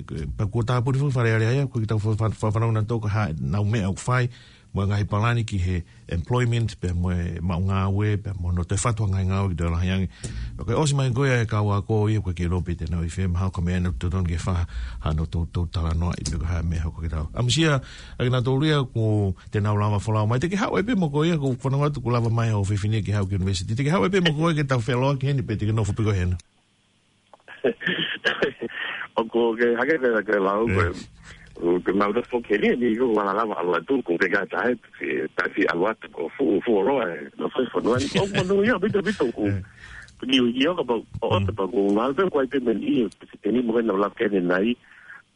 e, pea kuo tāpuni foki Fale Alea ia, ʻoku ʻikai ke tau fa-, fa-, fanongo nautolu ki ha, nau meʻa ʻoku fai, mo e ngaahi palani ki he employment, pea mo e maʻu ngāue, pea mo hono toe fatu ha ngaahi ngāue ke toe lahi ange. Pea ko e ʻosi mai ko ia e kau ako ia, ʻoku ʻikai ke lope te nau ʻi fē, mahalo ko e meʻa ena ʻoku totonu ke fai hano tou, tou talanoaʻi pe ko e hā e meʻa ʻoku hoko ki ai. ʻAmusia, ʻa kinautolu ia ʻoku te nau lava folau mai, te ke haʻu ai pē mo koe ia, ʻoku ou fanongo atu ʻoku lava mai ho fefine ke haʻu ki he university. Te ke haʻu ai pē mo koe ke tau feʻiloaki heni pe te ke nofo pē koe hena. ʻOku ke hake ke, ke lau ko e, Eh. ʻoku ke mau te foki heni, ni ko wala lava ʻalu atu, ko ke ka tae, si, tae si ʻalu atu, ko fuʻu, fuʻu ʻoloa, e, nofo fonua ni, ʻoku manu ia, ʻaupito, ʻaupito, ko. Eh. Ko ni ui ia, ka pau, ʻo, Mm. te pau, ko ngal pe, ko ai pe meni, e, si teni mo ke nau lava ke ne nai,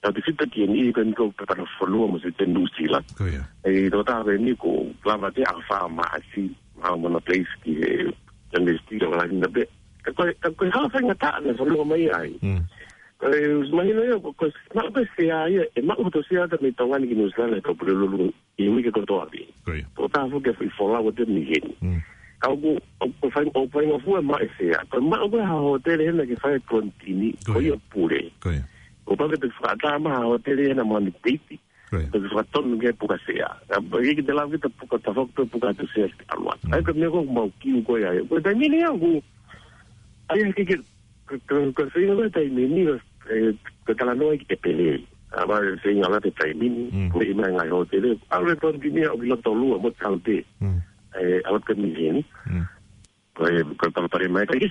tau te fita ki ni, ko ni ko pe pana fonua mo si te Nuʻusila. Ko ia. E, tō tā ko eni ko lava te a fa ma asi, ma mana place ki he, Sunday School, wala ni na pe. Ka ko, ka ko ha faingataʻa naʻe fonua mai ai. Mm. Ko e, mahino ia, ko, ko, maʻu pē sea ia, e maʻu to sea ta mei Tonga ni ki Nuʻusila, ka pule lulu, e uike kotoa pē. Ko ia. Tō tā foki e folau ʻo te miheni. Mm. Ka ʻoku, ʻoku fai, ʻoku faingofua maʻu e sea. Ko e maʻu ko e ha hōtele hena ke fai e quarantine, Ko ko ia. ia pule. Ko ia. ʻOku pau ke te fakaʻatā mai ha hōtele hena mo ʻene peiti. Ko ia. Te fakatonu ke puka sea. Ka, ʻikai ke te lava ke te puka ta foki pe puka te sea ki ʻalu atu. Mm. ʻAi ko e meʻa ko ē mau kiu ko ia. Ko e taimi ni ʻoku, ʻai ke ke, ko, ko, ko e feinga ko e taimi ni, e, ko e talanoa ki te pele. A, ma e feinga la te taimi ni, Mm. ko e ʻi mai ngaahi hōtele. ʻAlu e quarantine ʻo ki loto lua, mo taute. Mm. E, ʻalu te miheni. Mm. Ko e, ko e palopalema ia ʻikai ke.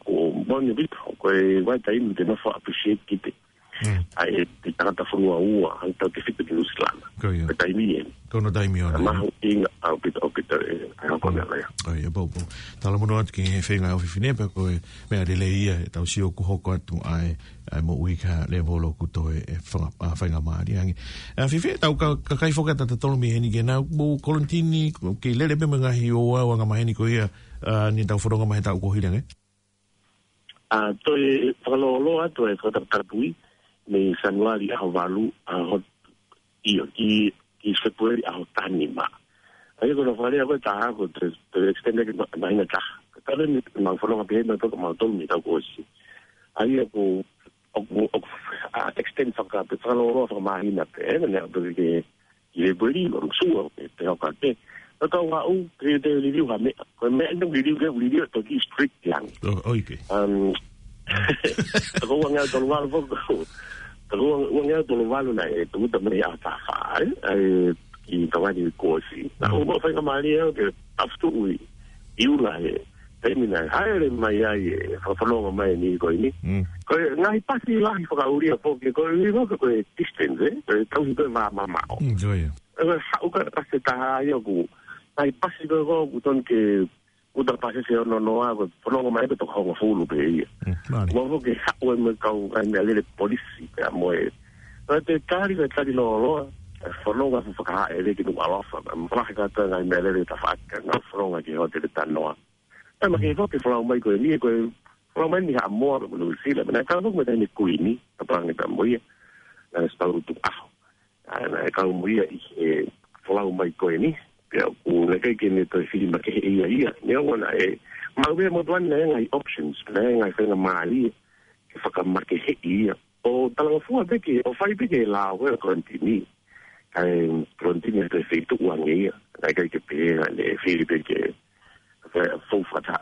Ko moni bito, ko e vaitaimi te nofo appreciate ki te. Mm. ʻAi, e, te tangata fonua ua, ʻa e tau te fita ki Nuʻusila. Ko ia. Ko e taimi eni. Ko hono taimi ʻona. Mahuʻinga ʻaupito, ʻaupito, e, ʻa e hoko Mm. meʻa ia. Ko ia, pau, pau. Talamonū atu ki he feinga ʻa e fefine pea ko e meʻa lelei ia, e tau sio ʻoku hoko atu ʻa e, ʻa e moʻui ki ha level ʻoku toe, e, fanga-, ʻa, faingamālie ange. ʻA, Fifi, tau ka-, kakai foki ʻa tautolu mei heni ke nau, mo quarantine, ke lele pē mo e ngaahi ʻo ua, ua nga maheni ko ia, ʻa, ni tau fononga mai he taʻu kuo hili ange. ʻA, toe fakalōloa atu e fakatapui mei Sānuali ʻaho valu, ʻaho, ʻio, ki, ki Fēpueli ʻaho taha nima. ʻA ia ko hono fakalea ko e taha ko e te, te extend ki ma-, māhina taha. Ka tala ni mau fononga pē hena toka mau tolu ni tau kuo ʻosi. ʻA ia ko, ʻoku, ʻoku, ʻa, extend faka-, fakalōloa fakamāhina pē, ʻe, ne, ʻa, pē ke, ʻi he puli, ʻo sua, e te hoko atu. Ka tau haʻu, ke te liliu ha meʻa. Ko e meʻa ʻe liliu ke liliu ʻe toki strict ange. ʻO, ʻoku ʻikai. Um, ko ua ngeau tolu valu foki. Ko ua, ua ngeau tolu valu naʻe, e, tuku ta mei a ta fa, e, e, ki Tonga ni kuo ʻosi. Naʻa Mm. ku faingamālie au ke tafutuʻi, ʻi ʻUla he, taimi naʻe hāʻele mai ai e fakafononga mai ni ko eni. Mm. Ko e ngaahi pasi lahi fakaʻulia foki, ko e ʻuhinga ko e distance, e, ko e tauhi ko e vā mamaʻo. Mm, ko ia. E, ko e haʻu ka pasi taha ia ʻoku, ngaahi pasi ko ē ʻoku tonu ke, ʻuta pasi se ono noa, ko e fononga mai ko e toko hongofulu pē ia. Mm, mālie. Mo foki haʻu e mo e kau ngaahi meʻalele polisi, pea mo e. Ko e te tali, ko e tali lōloa, e fononga fu fakahāʻele ki Nukuʻalofa, mo lahi kātoa ngaahi meʻalele tafaʻaki, ngaahi fononga ki he hōtele Tanoa. ʻE, ma ke Mm. foki folau mai ko eni, ko e folau mai ni Haʻamoa, mo Nuʻusila, mo naʻe kau foki mo e taʻahine kuini, ka pange ta mo ia, naʻe stau tu aho. ʻA, naʻe kau mo ia ʻi he folau mai ko eni, pea ʻoku ʻikai ke ne toe fili makehe ia ia. Neongo naʻe, ma ue mo tuan naʻe ngaahi options, naʻe ngaahi faingamālie, ke fakamakehe ia. ʻO talangofua pē ke, ʻo fai pē ke lau e quarantine. Kae quarantine ʻi he feituʻu ange ia. Naʻe ʻikai ke pehē naʻe fili pē ke, ke fou fakataha.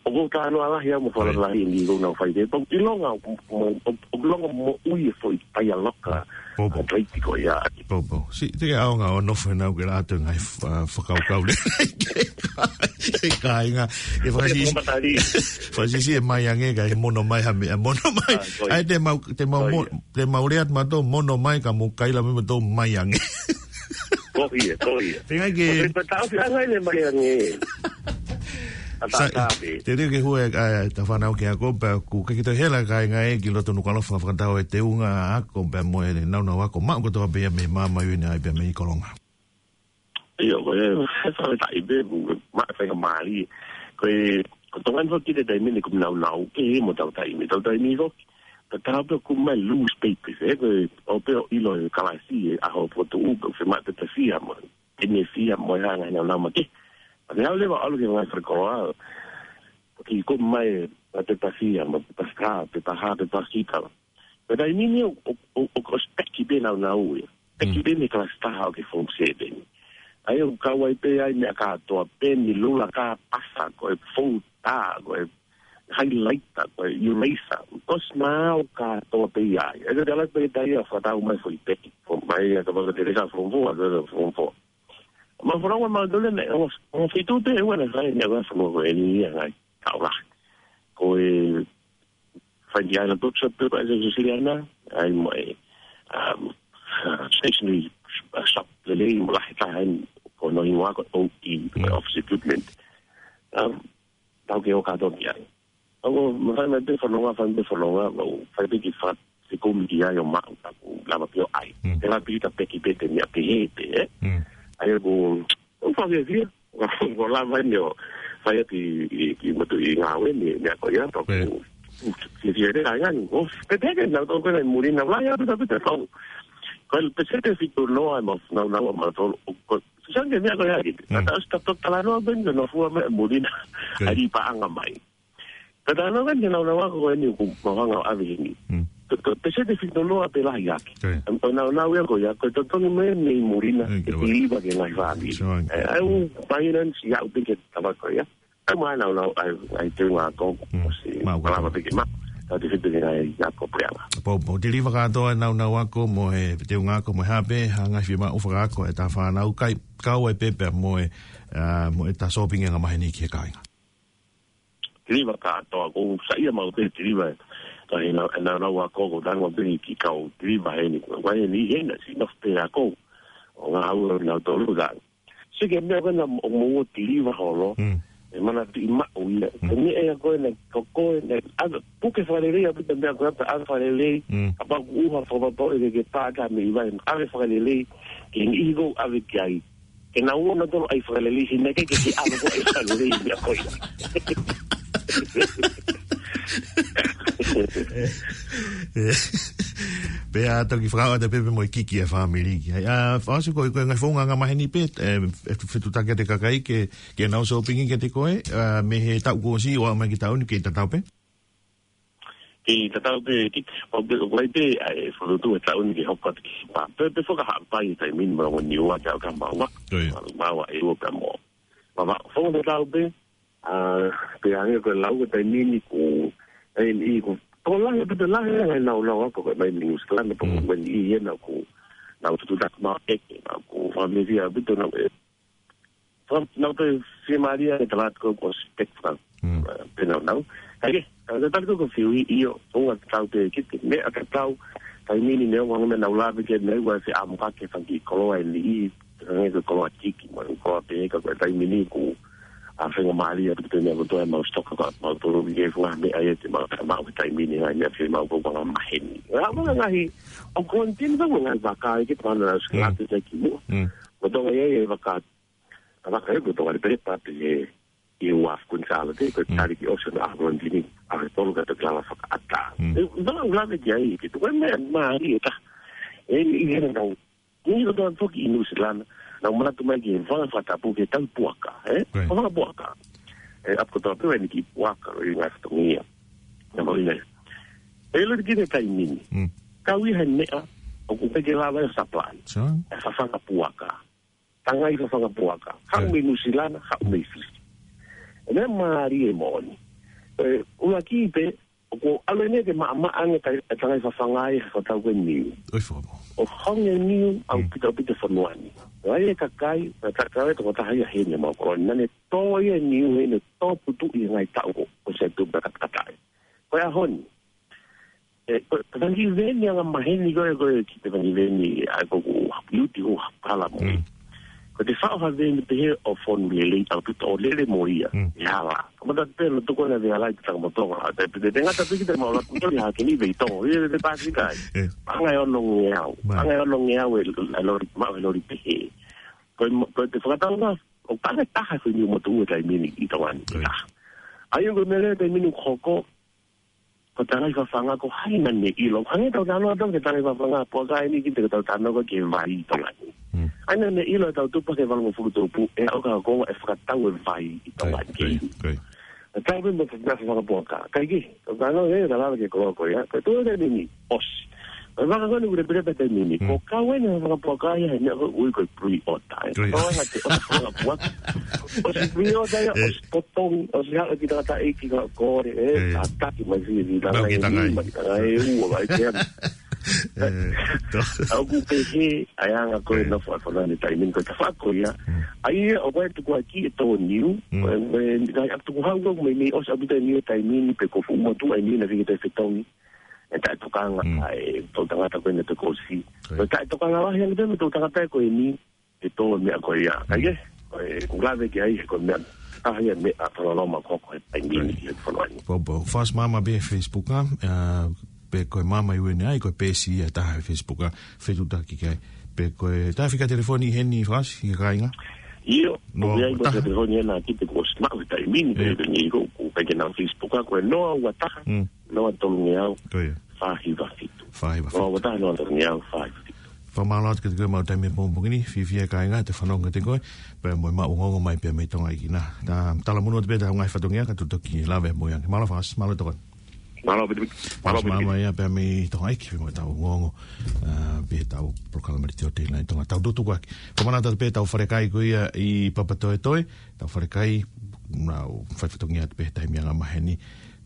ʻOku ou talanoa lahi au mo e fakalotolahi ni ʻoku nau fai pē. ʻOku ʻilonga, ʻoku ʻilonga moʻui e foʻi paialoka. Popo. Atleti ko ia. Popo. Si, te ke ʻaonga ʻo nofo ʻenau ke lātō ngai fa-, fakakaukau le. E kāinga. E fakasisi. Fakasisi e mai ange ka e mono mai ha meʻa, mono mai. Ah, ko ia. ʻAi te mau, te mau mo-, te mau lea atu mautolu mono mai ka mo kaila mai mautolu mai ange. Ko ia, ko ia. Te ngai ke. Ko ia, ko e taʻofi ange le mai ange. Sa-, te teu ke hue, ʻa, ta fānau ke ako, pea ʻoku ke kito hela kāinga ē ki loto Nukuʻalofa fakatau e teunga ako, pea mo e naunau ako, maʻu kotoa pē ia mei māmani ʻi ʻapi pea mei Kolonga. ʻIo, ko e, he fakataʻi pē, ma, faingamālie. Ko e, ko Tonga ni foki te taimi ni ʻoku naunau, ke mo tau taimi, tau taimi foki. Ka tau pē ʻoku mai lose papers, ē, ko e, ʻo pē ʻo ʻilo e kalasi, e ʻaho fotu, ʻoku fiemaʻu te ta fia mo. Te ne fia mo e hanga naunau ma ke. Pea te au leva ʻalu ke ngai fakakoloa. Ki ko mai, ma te ta fia, ma te ta fia, te ta ha, te ta fia. Pea taimi ni ʻo, ʻo, ʻo, ʻo, ʻo speki pē naunau ia. Speki pē mei kalasi taha ʻo ke form seven. ʻAi ʻoku kau ai pē ai meʻa kātoa pē ni lula ka pasa ko e fou tā, ko e highlighter, ko e eraser. Kosi mā ʻo kātoa pē ia. ʻAi ka te ala pē tā ia fakatau mai foʻi peki. Form mai ia ka paka te reka form four, a ka form four. Ma form four ma tole ne, ʻo, ʻo fitu pē ua na fai ne ua form four ko eni ia ngai. Tau la. Ko e Fai ki ai na bookshop pē ko e Siciliana, ʻai mo e, um, stationery shop lelei mo lahi taha eni ko hono hingoa ko e O E, ko e Office Equipment. Um, tau ke ʻo kātoa ki ai. ʻO, ma fai mai pē fononga, fai mai pē fononga, ʻo, fai pē ki fa, se kumi ki ai ʻo maʻu, taku lava pē ʻo ʻai. Te la pita peki pē te mea pehē pē, ē? ʻAi ʻoku, ʻo fai pē fia. Ko lava ni ʻo fai atu ʻi, ʻi, ʻi motu ʻi ngāue ni, ni ako ia, tau ku, si, si, ere, ai, ai, ʻo, pe, pe, ke nau tau kena ʻi muri na, lai, atu, atu, atu, tau. Ko e peseti fitu noa, ma, nau, nau, ma, tau, ko, si, sange, ni ako ia, ki. Tau, tau, tau, talanoa, ben, ke nau fua mai, muri na, ai, paʻanga mai. Ka talanoa, ben, ke nau, nau, ako, ko eni, ku, ma, hanga, ʻo ʻave heni. Tau, tau, peseti fitu noa, pe lahi ake. Am, ʻo nau, nau, ia, ko ia, ko, tau, tau, ni, me, me, muri na, ke tiliva, ke ngai fāmili. ʻE, au, finance, ia, ʻu, pe, ke, tava, ko ia. ʻAi mai naunau, ʻai, ʻai teunga ako, ʻo si, maʻu kalama pē ke ma, tau te fitu ke ngai ako pea la. Popo, tiliva kātoa e naunau ako mo e teunga ako mo e hā pē, hanga fiemaʻu fakaako e tā fānau kai, kau ai pē pea mo e, ʻa, mo e tā sōpingi anga maheni ki he kāinga. Tiliva kātoa, ko sa ia mau pē tiliva, ka he nau, e naunau ako ko tango pē ki kau tiliva heni, ko heni hena, si nof pē ako, ʻo ngā hau nau tolu ka. Sike meʻa ko ena ʻoku mou tiliva holo, e mana ti maʻu ia. Ko e meʻa ia ko ena, ko ko ena, ʻave, puke fakalelei, ʻave te meʻa ko ena, ʻave fakalelei, kapau ʻoku ʻuha fakapapau ʻe ke, ke pāta mei vai, ʻave fakalelei, ke ni iho ʻave ki ai. Ke nau ō nautolu ʻai fakalelei, si meʻa ke, ke, ke ʻave ko ʻai fakalelei, meʻa ko ia. Pea toki fakaʻoʻata pē pea mo e kiki e fāmili ki ai. ʻA, fakaʻosi ko e, ko e ngaahi founga anga maheni pē, e, e fetutaki ʻa e kakai ke, ke nau sōpingi kiate koe, ʻa, mei he taʻu kuo ʻosi ʻo aʻu mai ki he taʻu ni ke tatau pē? Ke tatau pē, ki, ʻo pē, ʻo pē, ʻa, e fokotuʻu e taʻu ni ke hoko atu ki pa. Pē, pē foka haʻapai e taimi ni mo e ongo Niua ke au ka maua. Maua e ua pē mo. Maua, foka tatau pē, ʻA, pea hangē ko e lau ko e taimi ni ko, e, ʻi ko, ko lahi, pea lahi, lahi, nau, nau, ako ko e mai New Zealand, pea ko e ʻi hena ko, nau tutu tak ma eke, nau ko, wha me fia, pea nau, e, wha, nau pē fiemālie, e tala ko, ko spek, wha, pea nau, nau. Hake, ka, ka tali ko, ko fiu ʻi, ʻio, ko nga tau pē, ki te, meʻa ka tau, taimi ni, ne, wha, me nau lave ke, ne, wha, se am ka ke, wha, ki koloa, e, ʻi, Hangē ko e koloa tiki, mo e koloa pehē ka ko e taimi ni ko e faingamālie ʻa e pito ni ʻa e kotoa e mau stoka ka mau tolo ki he funga meʻa ia te mau, mau he taimi ni ngai meʻa fiemaʻu ko e anga maheni. Ngā mga ngaahi, ʻo kontini ka ngaahi vaka ia ke pana na skalate te ki mua. Ko Tonga ia e vaka, a vaka ia ko Tonga ni pere pate he, ʻi he uafu Kuini Sālote, ko e tali ki ʻosi na ʻa kontini, ʻa e tolo ka te kala fakaʻatā. E, vaka ulave ki ai, ke tuku e meʻa, mālie e ka. E, ʻi hena nau, Ni ko tau foki ʻi Nuʻusila, nau manatu mai ki he vaka fakatapu ke tau puaka, ē? Ko e vaka puaka. E, ʻapi kotoa pē ʻeni ki puaka, ʻi ngā fatongia. Na mau ina. E lo ki te taimi ni. Kau ʻi he meʻa, ʻoku peke lava e supply. E fafanga puaka. Tangai fafanga puaka. Haʻu mei Nuʻusila, haʻu mei Fisi. E meʻa mālie moʻoni. ʻUluaki pē, ʻoku ʻalu eni ke maʻamaʻa ange e tangai fafanga ʻi he fakatatau ko e niu. ʻOi, fakamoʻoni. ʻOku honge niu ʻaupito ʻaupito e fonua ni. ʻOku ʻi ai e kakai, ʻa e kakai ʻe toko taha ia heni ʻa Maʻokoloni. Naʻa ne tō ia e niu heni, tō putu ʻi he ngaahi taʻu ko, ko e sētupe katakata ai. Ko e ʻaho ni. ʻE, ko, ko e fanga kiʻi veeni angamaheni ko ē, ko e kiʻi fanga kiʻi veeni, ʻa ia ko ʻeku uti ʻo hala mo. Ko ʻete faʻo ha veeni pehē ʻo fonu lelei ʻaupito ʻo lele mo ia. ʻE hala. Kamata pē ʻo tuku ʻene veʻe hala ʻi Takamotonga. Te, te, te ngata pē kita mau la kuto ni ha keni vei tō. Ia te pasi kai. Paʻanga ʻe ono ngeau. Paʻanga ʻe ono ngeau e, e lori, maʻu e lori pehē. Ko e, ko ʻete fakatau nga, ʻoku paʻanga ʻe taha ko e niu motuʻa he taimi ni ʻi Tonga ni. ʻA ia ko e meʻa leva he taimi ni ʻoku hoko, ko e tangai fafanga ko hai naʻa ne ʻilo. Hangē ʻetau talanoa atu ki he tangai fafanga, puaka eni ki he tau talanoa ki he vai ʻi Tonga ni. ʻA ia naʻa ne ʻilo ʻetau tupu ki he valungofulu tupu, ʻe aʻu ki he konga ʻe fakatau e vai ʻi Tonga ni. ʻE tau pē mo e tangai fafanga puaka. Kai ki, tau talanoa ē, tau lava ki he kolo ko ia. Ko e tuʻu eni ni, ʻosi. Ko e vaka ko eni ʻoku lepelepelep he taimi ni. Ko e kau eni he fafanga puaka ia, he meʻa ko ē ʻoku ui ko e pre-order. Ko e ngaahi ʻosi fafanga puaka. ʻOsi pre-order ia, ʻosi potongi, ʻosi haʻu e kiʻi tangataʻeiki ko ē, ʻe, tataki mai si, ki tangai, ki tangai ʻe ua, mai ki ana. ʻOku pehē ʻa e anga ko ē ʻa e nofo ʻa e fonua ni he taimi ni, ko e tafaʻaki ko ia. ʻA ia, ʻoku ʻi ai e tukuakiʻi e tō niu, ko e, ko e, ngaahi ʻapi tukuhau ko ē, mei, mei ʻosi ʻaupito e niu he taimi ni, pe ko e fuʻu motuʻa e niu naʻe fika te fetongi. ʻE taʻetokanga ʻa e toʻutangata ko ē naʻe toki ʻosi. Ko e taʻetokanga lahi ange pē mo e toʻutangata ko eni, ʻe tō e meʻa ko ia. Ka ʻi he, ko e, ʻoku lave ki ai, ko e meʻa, ʻa ia meʻa fakaloloma ko ē he taimi ni ʻi he fonua ni. Pō, pō. Fast Mama pē Facebook, ʻa, pe ko e Mama U N I, ko e peesi ia ʻe taha he Facebook, ʻa, fetuʻutaki ki ai. Pe ko e, ta fika telefoni heni Fast, ki he kāinga? ʻIo, no, ʻoku ʻi ai mo e fika telefoni ʻe naʻa ki te ko e smart he taimi ni, pe ko e ni ko, ko e ke na Facebook, ʻa, ko e noa ua taha, noa tolu ngeau, fā hiva fitu. Fā hiva fitu. Noa ua taha, noa tolu ngeau, fā hiva fitu. Fakamālō atu kiate koe maʻu taimi he pongipongi ni, fiefia e kāinga ʻete fanongo kiate koe, pea mo e maʻu ongoongo mai pē mei Tonga ʻEiki na. Ta, talamonū atu pē ʻetau ngaahi fatongia, ka tau toki lave mo ia. Mālō Fast, mālō e tokoni. Mālō, piti, piti. Mālō, Fast Mama ia pea mei Tonga ʻEiki, mo ʻetau ongoongo, ʻa, pea ʻetau polokalama letiō telinai Tonga. Tau tutuku ake. Fakamanatu atu pē ʻetau falekai ko ia ʻi Papatoetoe, ʻetau falekai, nau fai fatongia atu pē he taimi angamaheni.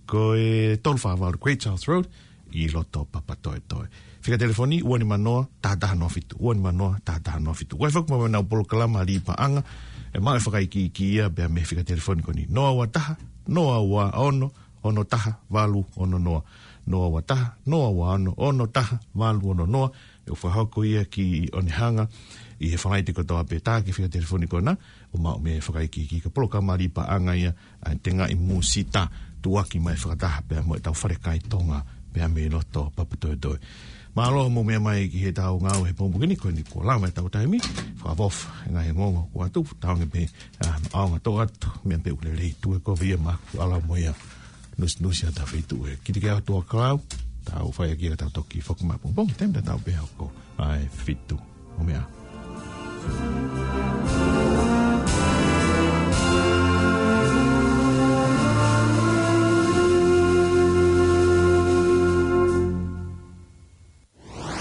Ko e tolu fā valu Great South Road, ʻi loto Papatoetoe. Fika telefoni, ua nima noa, taha taha noa fitu, ua nima noa, taha taha noa fitu. Ko e foki mo ʻenau polokalama lī paʻanga, ʻe maʻu e fakaikiiki ia, pea mei he fika telefoni ko eni. Noa ua taha, noa ua ono, ono taha, valu ono noa. Noa ua taha, noa ua ono, ono taha, valu ono noa. ʻE fakahoko ia ki Onehunga, ʻi he Falaite kotoa pē. Ta ki he fika telefoni ko ena, ʻo maʻu mei he fakaikiiki. Ko e polokalama lī paʻanga ia, ʻa e tengaʻi mūsita tuʻuaki mai fakataha pea mo ʻetau falekai Tonga pea mei loto Papatoetoe. Mālō hoʻomou meʻa mai ki heʻetau ngāue he pongipongi ni, ko eni kuo lava ʻetau taimi, fakaʻofoʻofa e ngaahi ongoongo kuo tuʻu, tau ange pē, ʻa, ʻaonga toʻo atu, meʻa pē ʻoku lelei, tuʻu ʻe kovi ia maku ala mo ia, nusinusi ʻa e feituʻu ē. Kiate koe ʻOtua Kalau, tau fai ʻaki ka tau toki foki mai he pongipongi, taimi tatau pē hoko, ʻa e fitu ʻo meʻa.